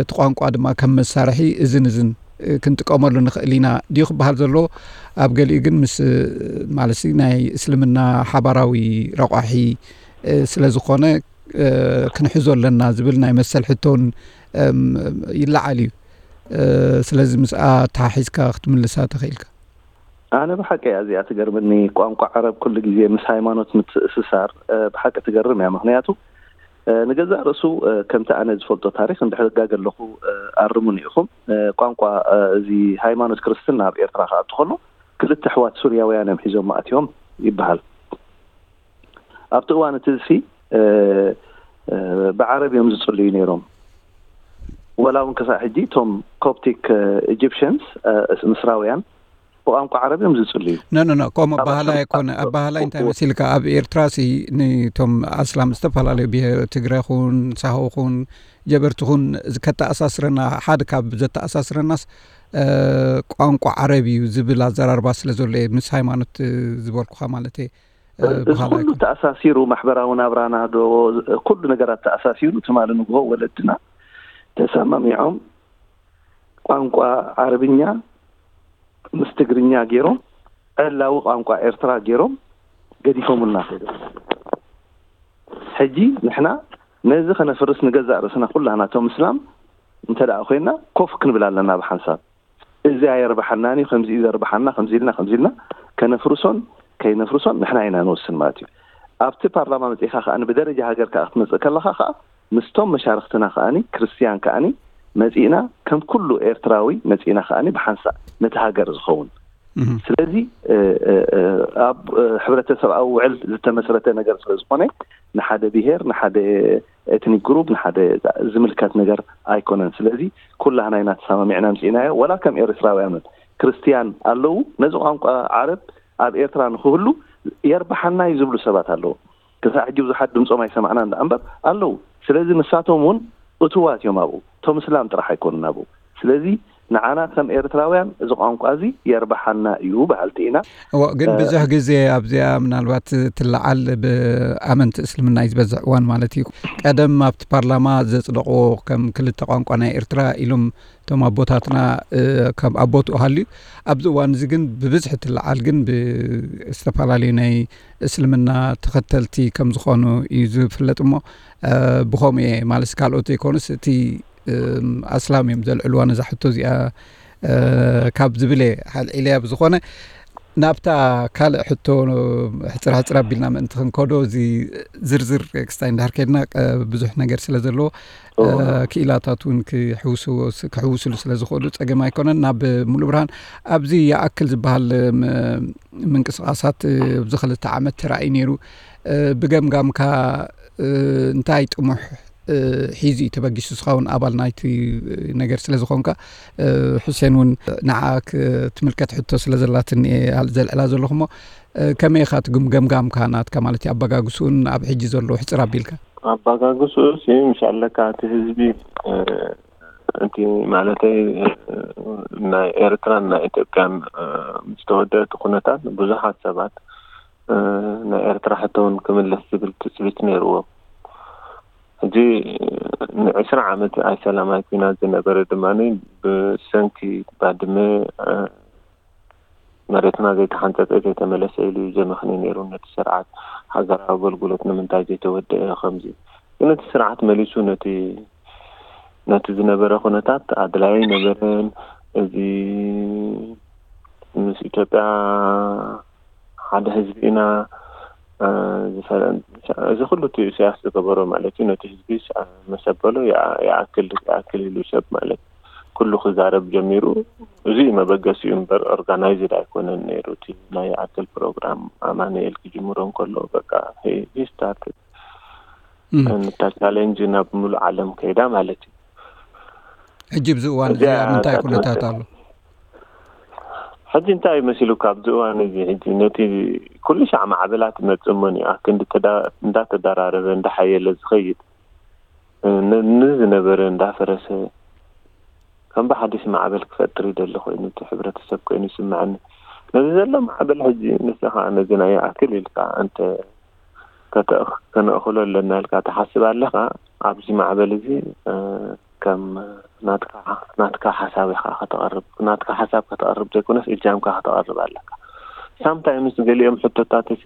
እቲ ቋንቋ ድማ ከም መሳርሒ እዝን እዝን ክንጥቀመሉ ንኽእል ኢና ድዩ ክበሃል ዘሎ? ኣብ ገሊኡ ግን ምስ ማለት ናይ እስልምና ሓባራዊ ረቋሒ ስለ ዝኾነ ክንሕዞ ኣለና ዝብል ናይ መሰል ሕቶን ይለዓል እዩ። ስለዚ ምስኣ ተሓሒዝካ ክትምልሳ ተኽኢልካ። ኣነ ብሓቂ እያ እዚኣ ትገርምኒ። ቋንቋ ዓረብ ኩሉ ግዜ ምስ ሃይማኖት ምትእስሳር ብሓቂ ትገርም እያ። ምክንያቱ ንገዛእ ርእሱ ከምቲ ኣነ ዝፈልጦ ታሪክ እንድሕር ጋገ ኣለኹ ኣርሙኒ ኢኹም። ቋንቋ እዚ ሃይማኖት ክርስትና ኣብ ኤርትራ ክኣቱ ከሎ ክልተ ኣሕዋት ሱርያውያን እዮም ሒዞም ኣትዮም ይበሃል። ኣብቲ እዋን እቲ ሲ ብዓረብ እዮም ዝጽልዩ ነይሮም። ወላ እውን ክሳዕ ሕጂ እቶም ኮፕቲክ ኢጂፕሽንስ ምስራውያን ብቋንቋ ዓረብ እዮም ዝጽልዩ። ኖ ኖ ኖ ከምኡ ኣባህላ ኣይኮነ። ኣባህላ እንታይ መሲልካ ኣብ ኤርትራ ሲ ንቶም ኣስላም ዝተፈላለዩ ብሄር ትግረ ኹን ሳሆ ኹን ጀበርቲ ኹን ከተኣሳስረና ሓደ ካብ ዘተኣሳስረናስ ቋንቋ ዓረብ እዩ ዝብል ኣዘራርባ ስለ ዘሎ እየ ምስ ሃይማኖት ዝበልኩኻ ማለት እየ። እዚ ኩሉ ተኣሳሲሩ ማሕበራዊ ናብራና ዶ ኩሉ ነገራት ተኣሳሲሩ ትማሊ ንግሆ ወለድና ተሰማሚዖም ቋንቋ ዓረብኛ ምስ ትግርኛ ገይሮም ዕላዊ ቋንቋ ኤርትራ ገይሮም ገዲፎምልና ከይዶም። ሕጂ ንሕና ነዚ ከነፍርስ ንገዛእ ርእስና ኩላና እቶም እስላም እንተ ደኣ ኮይና ኮፍ ክንብል ኣለና ብሓንሳብ። እዚ ኣየርብሓናን እዩ፣ ከምዚ እዩ ዘርብሓና፣ ከምዚ ኢልና ከምዚ ኢልና ከነፍርሶን ከይነፍርሶን ንሕና ኢና ንወስን ማለት እዩ። ኣብቲ ፓርላማ መጺእኻ ከኣ ብደረጃ ሃገር ከኣ ክትመጽእ ከለኻ ከኣ ምስቶም መሻርክትና ከኣ ክርስትያን ከኣ መጺእና ከም ኩሉ ኤርትራዊ መጺእና ከኣ ብሓንሳእ ነቲ ሃገር ዝኸውን ስለዚ ኣብ ሕብረተሰብኣዊ ውዕል ዝተመስረተ ነገር ስለ ዝኾነ ንሓደ ብሄር ንሓደ ኤትኒክ ግሩፕ ንሓደ ዝምልከት ነገር ኣይኮነን። ስለዚ ኩላህና ኢና ተሰማሚዕና ኣምጺእናዮ። ወላ ከም ኤርትራውያን እውን ክርስትያን ኣለዉ። ነዚ ቋንቋ ዓረብ ኣብ ኤርትራ ንክህሉ የርብሓና እዩ ዝብሉ ሰባት ኣለዉ። ክሳዕ ሕጂ ብዙሓት ድምጾም ኣይሰማዕናን ደኣ እምበር ኣለዉ። ስለዚ ንሳቶም እውን እትዋት እዮም ኣብኡ። እቶም እስላም ጥራሕ ኣይኮኑን ኣብኡ። ስለዚ ንዓና ከም ኤርትራውያን እዚ ቋንቋ እዚ የርብሓና እዩ በሃልቲ ኢና። እዎ፣ ግን እ፣ ብዙሕ ግዜ ኣብዚኣ ምናልባት ትለዓል ብኣመንቲ እስልምና እዩ ዝበዝሕ እዋን ማለት እዩ። ቀደም ኣብቲ ፓርላማ ዘጽደቕዎ ከም ክልተ ቋንቋ ናይ ኤርትራ ኢሎም እቶም ኣቦታትና፣ እ፣ ከም ኣቦትኡ ሃልዩ፣ ኣብዚ እዋን እዚ ግን ብብዝሒ ትለዓል ግን ብዝተፈላለዩ ናይ እስልምና ተኸተልቲ ከም ዝኾኑ እዩ ዝፍለጥ እሞ፣ እ፣ ብኸምኡ እየ ማለት ካልኦት ዘይኮኑስ እቲ፣ እም፣ ኣስላም እዮም ዘልዕልዋ ነዛ ሕቶ እዚኣ፣ እ፣ ካብ ዝብል እየ ኣልዒለያ። ብዝኾነ ናብታ ካልእ ሕቶ ሕጽር ሕጽር ኣቢልና ምእንቲ ክንከዶ እዚ ዝርዝር ክስታይ እንዳር ከድና፣ እ፣ ብዙሕ ነገር ስለ ዘለዎ፣ እ፣ እዎ። ክኢላታት እውን ክሕውስዎ ስ-፣ ክሕውስሉ ስለ ዝኽእሉ ጸገም ኣይኮነን። ናብ ሙሉ ብርሃን ኣብዚ ይኣክል ዝበሃል ም-፣ ምንቅስቓሳት ኣብዚ ክልተ ዓመት ተራእዩ ነይሩ። እ፣ ብገምጋምካ፣ እ፣ እንታይ ጥሙሕ፣ እ፣ ሒዙ እዩ ተበጊሱ? ንስኻ እውን ኣባል ናይቲ ነገር ስለ ዝኾንካ፣ እ፣ ሑሴን እውን ንዓ ክትምልከት ሕቶ ስለ ዘላትኒ እየ ዘልዕላ ዘለኹ እሞ፣ እ፣ ከመይ ኢኻ ትግም-፣ ገምጋምካ ናትካ ማለት እዩ፣ ኣበጋግስኡን ኣብ ሕጂ ዘሎ ሕጽር ኣቢልካ? ኣበጋግስኡ ሲ ምሽ ኣለካ እቲ ህዝቢ፣ እ፣ እቲ ማለተይ፣ እ፣ ናይ ኤርትራን ናይ ኢትዮጵያን፣ እ፣ ምስ ተወደአ እቲ ኩነታት ብዙሓት ሰባት፣ እ፣ ናይ ኤርትራ ሕቶ እውን ክምለስ ዝብል ትጽቢት ነይርዎም። ሕጂ ንዕስራ ዓመት ኣይሰላማይ ኲናት ዝነበረ ድማ ብሰንኪ ባድመ፣ እ፣ መሬትና ዘይተሓንጸጸ ዘይተመለሰ ኢሉ እዩ ዘመኽንዮ ነይሩ ነቲ ስርዓት። ሃገራዊ ኣገልግሎት ንምንታይ ዘይተወደአ ከምዚ። ግን እቲ ስርዓት መሊሱ ነቲ፣ ነቲ ዝነበረ ኩነታት ኣድላይ ኣይነበረን። እዚ ምስ ኢትዮጵያ ሓደ ህዝቢ ኢና፣ እ፣ ዝፈረ-፣ እዚ ኩሉ እቲ ኢሳያስ ዝገበሮ ማለት እዩ። ነቲ ህዝቢ ስ-፣ መሰበሎ ይኣ-፣ ይኣክል፣ ይኣክል ኢሉ ሰብ ማለት ኩሉ ክዛረብ ጀሚሩ። እዚ እዩ መበገሲኡ እምበር ኦርጋናይዝድ ኣይኮነን ነይሩ። እቲ ናይ ይኣክል ፕሮግራም ኣማኑኤል ክጅምሮ እንከሎ በቃ ሂ፣ ሂ ስታርትድ እም። እታ ቻሌንጅ ናብ ሙሉእ ዓለም ከይዳ ማለት እዩ። ሕጂ ኣብዚ እዋን እዚ እዚኣ ኣብ ምንታይ እታ ኩነታት ትመስል። ኣሎ? ሕጂ እንታይ እዩ መሲሉካ ኣብዚ እዋን እዚ? ሕጂ ነቲ ኩሉ ሻዕ ማዕበላት ይመጽእ እሞ ንኣ ክንዲ ተዳ-፣ እንዳተደራረበ እንዳሓየለ ዝኸይድ፣ እ፣ ን-፣ ንዝነበረ እንዳፈረሰ ከም ብሓድሽ ማዕበል ክፈጥር ይደሊ ኮይኑ እቲ ሕብረተሰብ ኮይኑ ይስምዐኒ። ነዚ ዘሎ ማዕበል ሕጂ ንስኻ ነዚ ናይ ይኣክል ኢልካ እንተ ከተእኽ-፣ ከነእኽሎ ኣለና ኢልካ ትሓስብ ኣለኻ፣ ኣብዚ ማዕበል እዚ፣ እ፣ ከም ናትካ፣ ናትካ ሓሳብ ኢኻ ከተቕርብ። ናትካ ሓሳብ ከተቕርብ ዘይኮነስ እጃምካ ከተቕርብ ኣለካ። ሳምታይምስ ገሊኦም ሕቶታት እዚ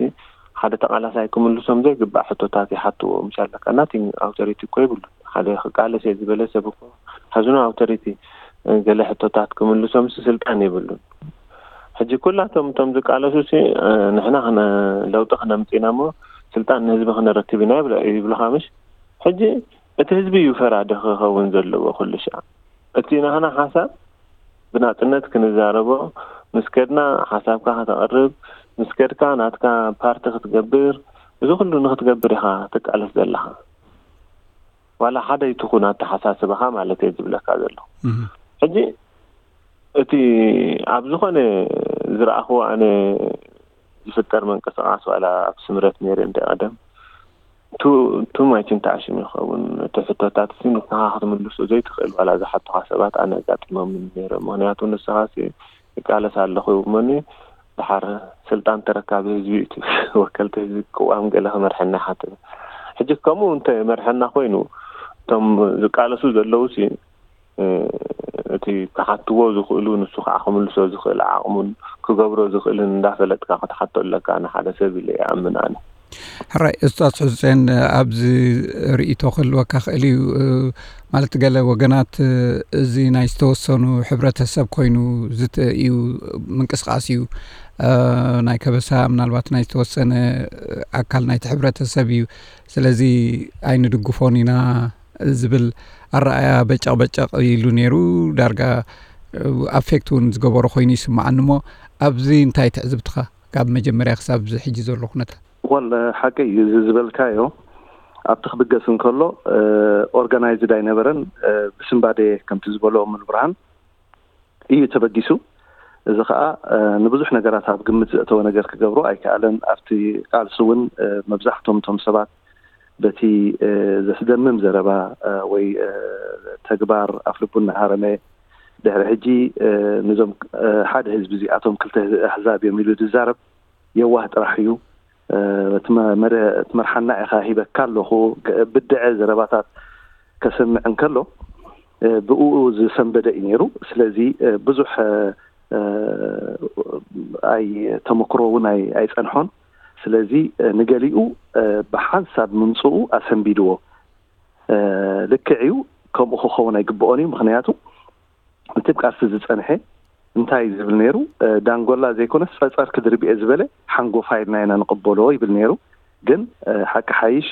ሓደ ተቓላሳይ ክምልሶም ዘይግባእ ሕቶታት ይሓትዎ። ምሽ ኣለካ ናቲንግ ኣውቶሪቲ እኮ ይብሉ። ሓደ ክቃለስ እየ ዝበለ ሰብ እኮ has no authority፣ እ፣ ገለ ሕቶታት ክምልሶምስ ስልጣን የብሉን። ሕጂ ኩላቶም እቶም ዝቃለሱ ሲ፣ እ፣ ንሕና ክነ-፣ ለውጢ ክነምጽእ ኢና እሞ ስልጣን ንህዝቢ ክነረክብ ኢና ይብለ-፣ ይብሉኻ ምሽ? ሕጂ እቲ ህዝቢ እዩ ፈራዲ ክኸውን ዘለዎ ኩሉ ሻዕ። እቲ ናህና ሓሳብ ብናጽነት ክንዛረቦ፣ ምስ ከድና ሓሳብካ ከተቕርብ፣ ምስ ከድካ ናትካ ፓርቲ ክትገብር፣ እዚ ኩሉ ንክትገብር ኢኻ ትቃለስ ዘለኻ። ዋላ ሓደ ይትኹን ኣተሓሳስባኻ ማለት እየ ዝብለካ ዘለኹ። እህ። ሕጂ እቲ ኣብ ዝኾነ ዝረኣኽዎ ኣነ ዝፍጠር ምንቅስቓስ ዋላ ኣብ ስምረት ነይረ እንደ ቀደም ቱ፣ ቱ ማይችን ተኣሽም ይኸውን። እቲ ሕቶታት ሲ ንስኻ ክትምልሶ ዘይትኽእል ዋላ ዝሓቱኻ ሰባት ኣነ ኣጋጢሞም ነይረ። ምኽንያቱ ንስኻ ሲ ይቃለስ ኣለኹ እሞኒ ድሓር ስልጣን ተረካቢ ህዝቢ እዩ ትብል። ወከልቲ ህዝቢ ቅዋም ገለ ክመርሐና ይሓትት። ሕጂ ከምኡ እንተ መርሐና ኮይኑ እቶም ዝቃለሱ ዘለዉ ሲ፣ እ፣ እቲ ክሓትዎ ዝኽእሉ ንሱ ከዓ ክምልሶ ዝኽእል ዓቕሙን ክገብሮ ዝኽእልን እንዳፈለጥካ ክትሓቶ ኣለካ ንሓደ ሰብ ኢለ ይኣምን ኣነ። ሕራይ፣ እስታስ ሕሴን፣ ኣብዚ ርእይቶ ክህልወካ ክእል እዩ። ማለት፣ ገለ ወገናት፣ እዚ ናይ ዝተወሰኑ ሕብረተሰብ ኮይኑ ዝት- እዩ፣ ምንቅስቃስ እዩ። ናይ ከበሳ ምናልባት ናይ ዝተወሰነ ኣካል ናይቲ ሕብረተሰብ እዩ። ስለዚ ኣይንድግፎን ኢና ዝብል ኣረኣያ በጨቕ በጨቕ ኢሉ ነይሩ። ዳርጋ ኣፌክት እውን ዝገበሮ ኮይኑ ይስምዓኒ። እሞ ኣብዚ እንታይ ትዕዝብትኻ ካብ መጀመርያ ክሳብ እዚ ሕጂ ዘሎ ኩነታት? ወል ሓቂ እዩ፣ እዚ ዝበልካዮ ኣብቲ ክብገስ እንከሎ ኦርጋናይዝድ ኣይነበረን። ብስንባዴ ከምቲ ዝበሎ ሙሉ ብርሃን እዩ ተበጊሱ። እዚ ከዓ ንብዙሕ ነገራት ኣብ ግምት ዘእተወ ነገር ክገብሮ ኣይከኣለን። ኣብቲ ቃልሲ እውን መብዛሕቶም እቶም ሰባት በቲ ዘስደምም ዘረባ ወይ ተግባር ኣፍልቡ እናሃረመ፣ ድሕሪ ሕጂ ንዞም ሓደ ህዝቢ እዚኣቶም ክልተ ኣህዛብ እዮም ኢሉ ዝዛረብ የዋህ ጥራሕ እዩ። እቲ መርሓና ኢኻ ሂበካ ኣለኹ፣ ብድዐ ዘረባታት ከስምዕ እንከሎ ብኡ ዝሰንበደ እዩ ነይሩ። ስለዚ ብዙሕ ኣይ ተመክሮ እውን ኣይፀንሖን። ስለዚ ንገሊኡ ብሓንሳብ ምምፅኡ ኣሰንቢድዎ። ልክዕ እዩ፣ ከምኡ ክኸውን ኣይግብኦን እዩ። ምክንያቱ እቲ ቃልሲ ዝፀንሐ እንታይ ዝብል ነይሩ? ዳንጎላ ዘይኮነስ ፀፀር ክድርብየ ዝበለ ሓንጎፋይ ኢልና ኢና ንቕበሎ ይብል ነይሩ። ግን ሓቂ ሓይሽ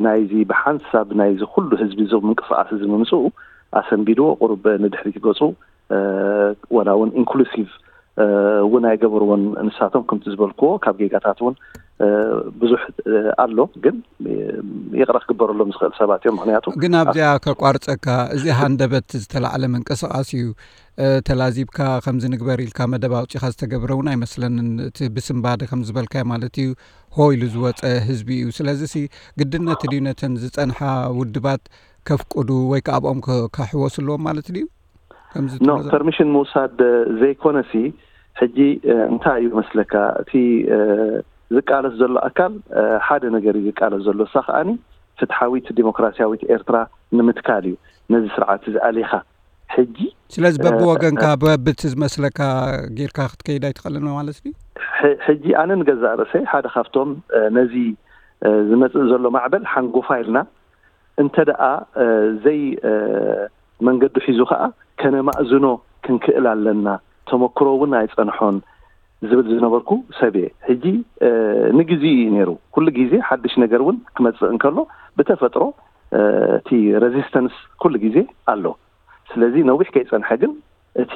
ናይዚ ብሓንሳብ ናይዚ ኩሉ ህዝቢ እዚ ምንቅስቃስ እዚ ምምፅኡ ኣሰንቢድዎ፣ ቁሩብ ንድሕሪት ገፁ፣ ወላ እውን ኢንክሉሲቭ እውን ኣይገበርዎን። ንሳቶም ከምቲ ዝበልክዎ ካብ ጌጋታት እውን ብዙሕ ኣሎ፣ ግን ይቕረ ክግበረሎም ዝኽእል ሰባት እዮም። ምክንያቱ ግን ኣብዚኣ ከቋርፀካ፣ እዚ ሃንደበት ዝተላዕለ ምንቅስቃስ እዩ። ተላዚብካ ከምዚ ንግበር ኢልካ መደብ ኣውፂኻ ዝተገብረ እውን ኣይመስለንን። እቲ ብስንባደ ከም ዝበልካዮ ማለት እዩ፣ ሆ ኢሉ ዝወፀ ህዝቢ እዩ። ስለዚ ሲ ግድነት ድዩ ነተን ዝፀንሓ ውድባት ከፍቅዱ ወይ ከዓ ኣብኦም ከ- ከሕወሱ ኣለዎም ማለት ድዩ? ከምዚ ኖ ትብሎ ዘሎ? ፐርሚሽን ምውሳድ ዘይኮነሲ፣ ሕጂ እንታይ እዩ መስለካ፣ እቲ ዝቃለስ ዘሎ ኣካል ሓደ ነገር እዩ ዝቃለስ ዘሎ። እሳ ከዓኒ ፍትሓዊት ዲሞክራሲያዊት ኤርትራ ንምትካል እዩ። ነዚ ስርዓት እዚ ኣሊኻ ሕጂ ስለዚ በብወገንካ በብቲ ዝመስለካ ጌርካ ክትከይድ ኣይትኽእልን ማለት ድዩ? ሕጂ ኣነ ንገዛእ ርእሰይ ሓደ ካብቶም ነዚ ዝመፅእ ዘሎ ማዕበል ሓንጎፋ ኢልና እንተ ደኣ ዘይ መንገዱ ሒዙ ከኣ ከነማእዝኖ ክንክእል ኣለና። ተመክሮ እውን ኣይጸንሖን ዝብል ዝነበርኩ ሰብ እየ። ሕጂ ንግዜኡ እዩ ነይሩ። ኩሉ ግዜ ሓድሽ ነገር እውን ክመጽእ እንከሎ ብተፈጥሮ እቲ ሬዚስተንስ ኩሉ ግዜ ኣሎ። ስለዚ ነዊሕ ከይጸንሐ ግን እቲ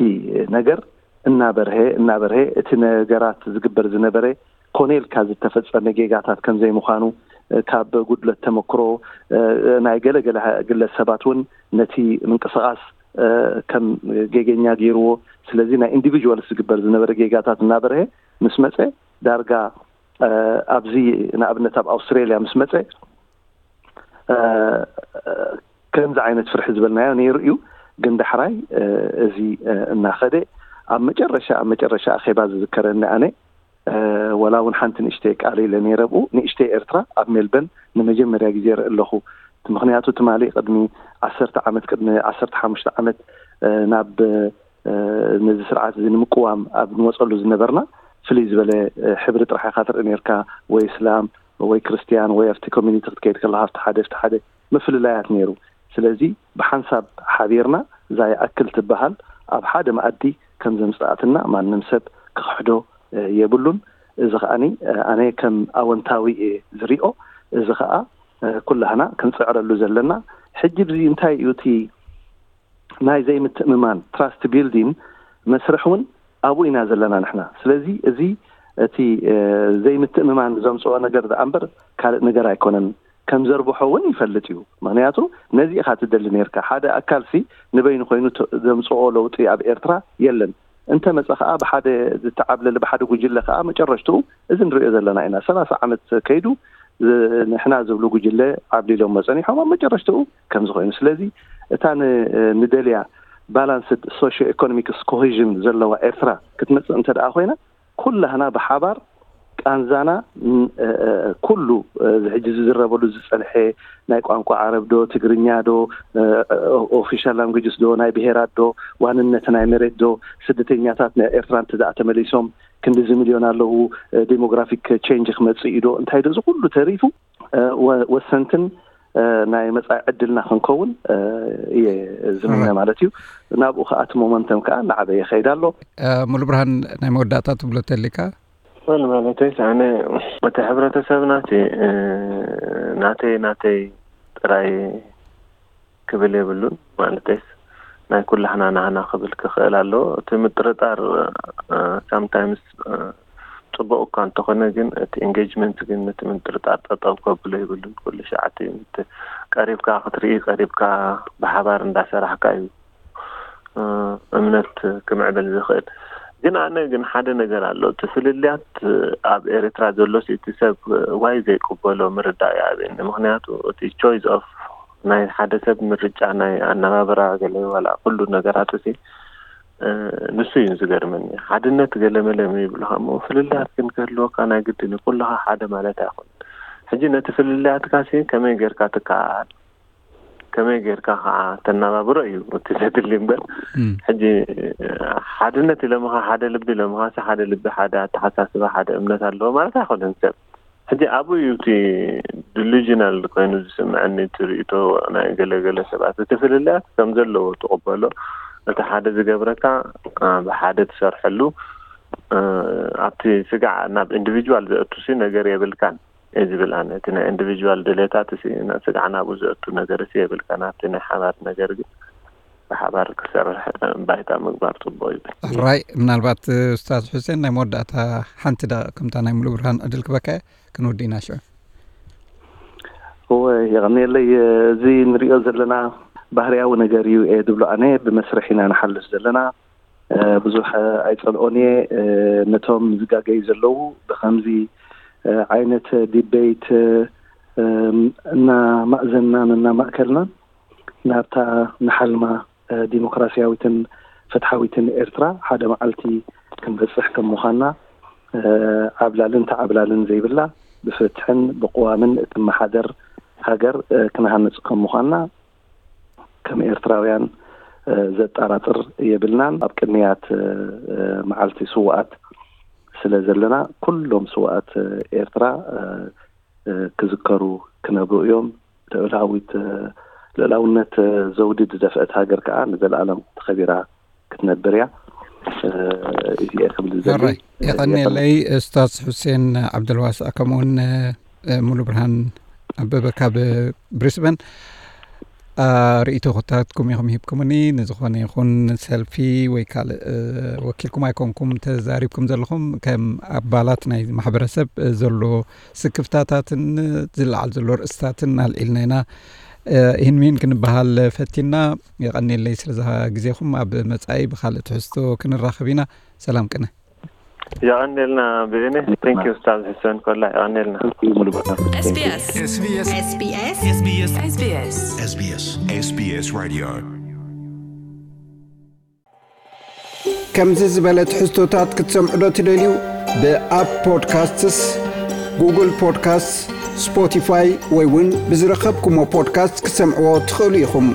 ነገር እናበርሀ እናበርሀ እቲ ነገራት ዝግበር ዝነበረ ኮነ ኢልካ ዝተፈጸመ ጌጋታት ከም ዘይምዃኑ ካብ ጉድለት ተመክሮ ናይ ገለ ገለ ግለሰባት እውን ነቲ ምንቅስቃስ ከም ጌገኛ ገይርዎ። ስለዚ ናይ ኢንዲቪጁዋልስ ዝግበር ዝነበረ ጌጋታት እናበርሀ ምስ መፀ ዳርጋ ኣብዚ ንኣብነት ኣብ ኣውስትራሊያ ምስ መፀ ከምዚ ዓይነት ፍርሒ ዝበልናዮ ነይሩ እዩ። ግን ዳሕራይ እዚ እናኸደ ኣብ መጨረሻ ኣብ መጨረሻ ኣኼባ ዝዝከረኒ ኣነ ወላ እውን ሓንቲ ንእሽተይ ቃል ኢለ ነይረ ብኡ ንእሽተይ ኤርትራ ኣብ ሜልበን ንመጀመርያ ግዜ ርኢ ኣለኹ። ምክንያቱ ትማሊ ቅድሚ ዓሰርተ ዓመት ቅድሚ ዓሰርተ ሓሙሽተ ዓመት ናብ ነዚ ስርዓት እዚ ንምቅዋም ኣብ ንወፀሉ ዝነበርና ፍልይ ዝበለ ሕብሪ ጥራሕ ኢካ ትርኢ ነርካ፣ ወይ እስላም ወይ ክርስትያን ወይ ኣብቲ ኮሚኒቲ ክትከይድ ከለካ ኣብቲ ሓደ ኣብቲ ሓደ ምፍልላያት ነይሩ። ስለዚ ብሓንሳብ ሓቢርና እዛ ይኣክል ትበሃል ኣብ ሓደ መኣዲ ከም ዘምፅኣትና ማንም ሰብ ክኽሕዶ የብሉን። እዚ ከዓኒ ኣነ ከም ኣወንታዊ እየ ዝሪኦ። እዚ ከዓ ኩላህና ክንፅዕረሉ ዘለና። ሕጂ ብዚ እንታይ እዩ እቲ ናይ ዘይምትእምማን ትራስት ቢልዲን መስርሕ እውን ኣብኡ ኢና ዘለና ንሕና። ስለዚ እዚ እቲ ዘይምትእምማን ዘምፅኦ ነገር ደኣ እምበር ካልእ ነገር ኣይኮነን። ከም ዘርብሖ እውን ይፈልጥ እዩ። ምክንያቱ ነዚ ኢካ ትደሊ ነርካ። ሓደ ኣካል ሲ ንበይኑ ኮይኑ ዘምፅኦ ለውጢ ኣብ ኤርትራ የለን። እንተ መፀ ከዓ ብሓደ ዝተዓብለለ ብሓደ ጉጅለ ከዓ መጨረሽትኡ እዚ ንሪኦ ዘለና ኢና። ሰላሳ ዓመት ከይዱ ንሕና ዝብሉ ጉጅለ ዓብሊሎሞ ፀኒሖም ኣብ መጨረሽትኡ ከምዚ ኮይኑ። ስለዚ እታ ንደልያ ባላንስድ ሶሽዮ ኢኮኖሚክስ ኮሂዥን ዘለዋ ኤርትራ ክትመፅእ እንተ ደኣ ኮይና ኩላህና ብሓባር ቃንዛና ኩሉ እዚ ሕጂ ዝዝረበሉ ዝጸንሐ ናይ ቋንቋ ዓረብ ዶ ትግርኛ ዶ ኦፊሻል ላንጉጅስ ዶ ናይ ብሄራት ዶ ዋንነት ናይ መሬት ዶ ስደተኛታት ናይ ኤርትራ እንተ ደኣ ተመሊሶም ክንድዚ ሚልዮን ኣለዉ ዴሞግራፊክ ቼንጅ ክመጽእ እዩ ዶ እንታይ ዶ እዚ ኩሉ ተሪፉ ወሰንትን ናይ መጻኢ ዕድልና ክንከውን እየ ዝምነ ማለት እዩ። ናብኡ ከኣ እቲ ሞመንተም ከኣ እናዓበየ ይኸይድ ኣሎ። ሙሉ ብርሃን ናይ መወዳእታ ትብሎ ተሊካ? ወል ማለተይስ ኣነ እቲ ሕብረተሰብና እቲ ናተይ ናተይ ጥራይ ክብል የብሉን ማለተይስ ናይ ኩላህና ናህና ክብል ክኽእል ኣለዎ። እቲ ምጥርጣር ሳምታይምስ ጽቡቕ እኳ እንተኾነ ግን እቲ ኤንጌጅመንት ግን ነቲ ምጥርጣር ጠጠው ከብሎ የብሉን። ኩሉ ሸዓቲ ቀሪብካ ክትርኢ ቀሪብካ ብሓባር እንዳሰራሕካ እዩ እምነት ክምዕብል ዝኽእል። ግን ኣነ ግን ሓደ ነገር ኣሎ። እቲ ፍልልያት ኣብ ኤርትራ ዘሎ እቲ ሰብ ዋይ ዘይቅበሎ ምርዳእ ይኣብየኒ። ምክንያቱ እቲ ቾይስ ኦፍ ናይ ሓደ ሰብ ምርጫ ናይ ኣነባብራ ገለ ዋላ ኩሉ ነገራት እዚ ንሱ እዩ ዝገርመኒ። ሓድነት ገለመለ ይብሉካ እሞ ፍልልያት ግን ክህልወካ ናይ ግድን እዩ። ኩልኻ ሓደ ማለት ኣይኮን። ሕጂ ነቲ ፍልልያትካ ሲ ከመይ ጌርካ ትከኣል ከመይ ጌርካ ከዓ ተናባብሮ እዩ እቲ ዘድሊ እምበር ሕጂ ሓድነት ኢለምኻ ሓደ ልቢ ኢለምኻ ሓደ ልቢ ሓደ ኣተሓሳስባ ሓደ እምነት ኣለዎ ማለት ኣይኮነን ሰብ ሕጂ ኣብኡ እዩ እቲ ዲሉዥናል ኮይኑ ዝስምዐኒ እቲ ርእቶ ናይ ገለገለ ሰባት እቲ ፍልልያት ከም ዘለዎ ትቕበሎ እቲ ሓደ ዝገብረካ ብሓደ ትሰርሐሉ ኣብቲ ስጋዕ ናብ ኢንዲቪጁዋል ዘእቱሲ ነገር የብልካን እየ ዝብል ኣነ እቲ ናይ ኢንዲቪጁዋል ድሌታት እ ስጋዕ ናብኡ ዘእቱ ነገር እ የብልካን ኣብቲ ናይ ሓባር ነገር ግን ብሓባር ክሰርሕ ባይታ ምግባር ፅቡቅ ይብል። ራይ ምናልባት ኡስታዝ ሑሴን ናይ መወዳእታ ሓንቲ ደቂቅ ከምታ ናይ ሙሉ ብርሃን ዕድል ክበካ ክንውዲ ኢና ሽዑ። እወ የቀንየለይ። እዚ ንሪኦ ዘለና ባህርያዊ ነገር እዩ እየ ዝብሎ ኣነ። ብመስርሕ ኢና ንሓልፍ ዘለና። ብዙሕ ኣይጸልኦን እየ። ነቶም ዝጋገዩ ዘለዉ ብኸምዚ ዓይነት ዲቤት እናማእዘንናን እናማእከልናን ናብታ ንሓልማ ዲሞክራሲያዊትን ፍትሓዊትን ኤርትራ ሓደ መዓልቲ ክንበጽሕ ከም ምዃንና ዓብላልን ተዓብላልን ዘይብላ ብፍትሕን ብቅዋምን እትመሓደር ሃገር ክንሃንጽ ከም ምዃንና ከም ኤርትራውያን ዘጠራጥር የብልናን። ኣብ ቅንያት መዓልቲ ስውኣት ስለ ዘለና ኩሎም ስውኣት ኤርትራ ክዝከሩ ክነብሩ እዮም። ልኡላዊት ልኡላውነት ዘውዲ ዝደፍአት ሃገር ከዓ ንዘለኣለም ተኸቢራ ክትነብር እያ። እዚ እየ ክብል ዝደሊ። የቐንየለይ ኡስታዝ ሑሴን ዓብደልዋስዕ ከምኡውን ሙሉ ብርሃን ኣበበ ካብ ብሪስበን ርእይቶታትኩም ኢኹም ሂብኩምኒ። ንዝኾነ ይኹን ሰልፊ ወይ ካልእ ወኪልኩም ኣይኮንኩም ተዛሪብኩም ዘለኹም። ከም ኣባላት ናይ ማሕበረሰብ ዘሎ ስክፍታታትን ዝለዓል ዘሎ ርእስታትን ኣልዒልና ኢና። ይህን ምሂን ክንበሃል ፈቲና። የቐንየለይ ስለዛ ግዜኹም። ኣብ መጻኢ ብኻልእ ትሕዝቶ ክንራኸብ ኢና። ሰላም ቅነ። የቐንየልና ብእኔ። Thank you ኡስታዝ ሕሰን ኮላ የቐንየልና። SBS SBS SBS SBS SBS SBS SBS Radio ከምዚ ዝበለ ትሕዝቶታት ክትሰምዑ ዶ ትደልዩ? ብኣፕ ፖድካስትስ፣ ጉግል ፖድካስትስ፣ ስፖቲፋይ ወይ እውን ብዝረኸብኩሞ ፖድካስት ክትሰምዕዎ ትኽእሉ ኢኹም።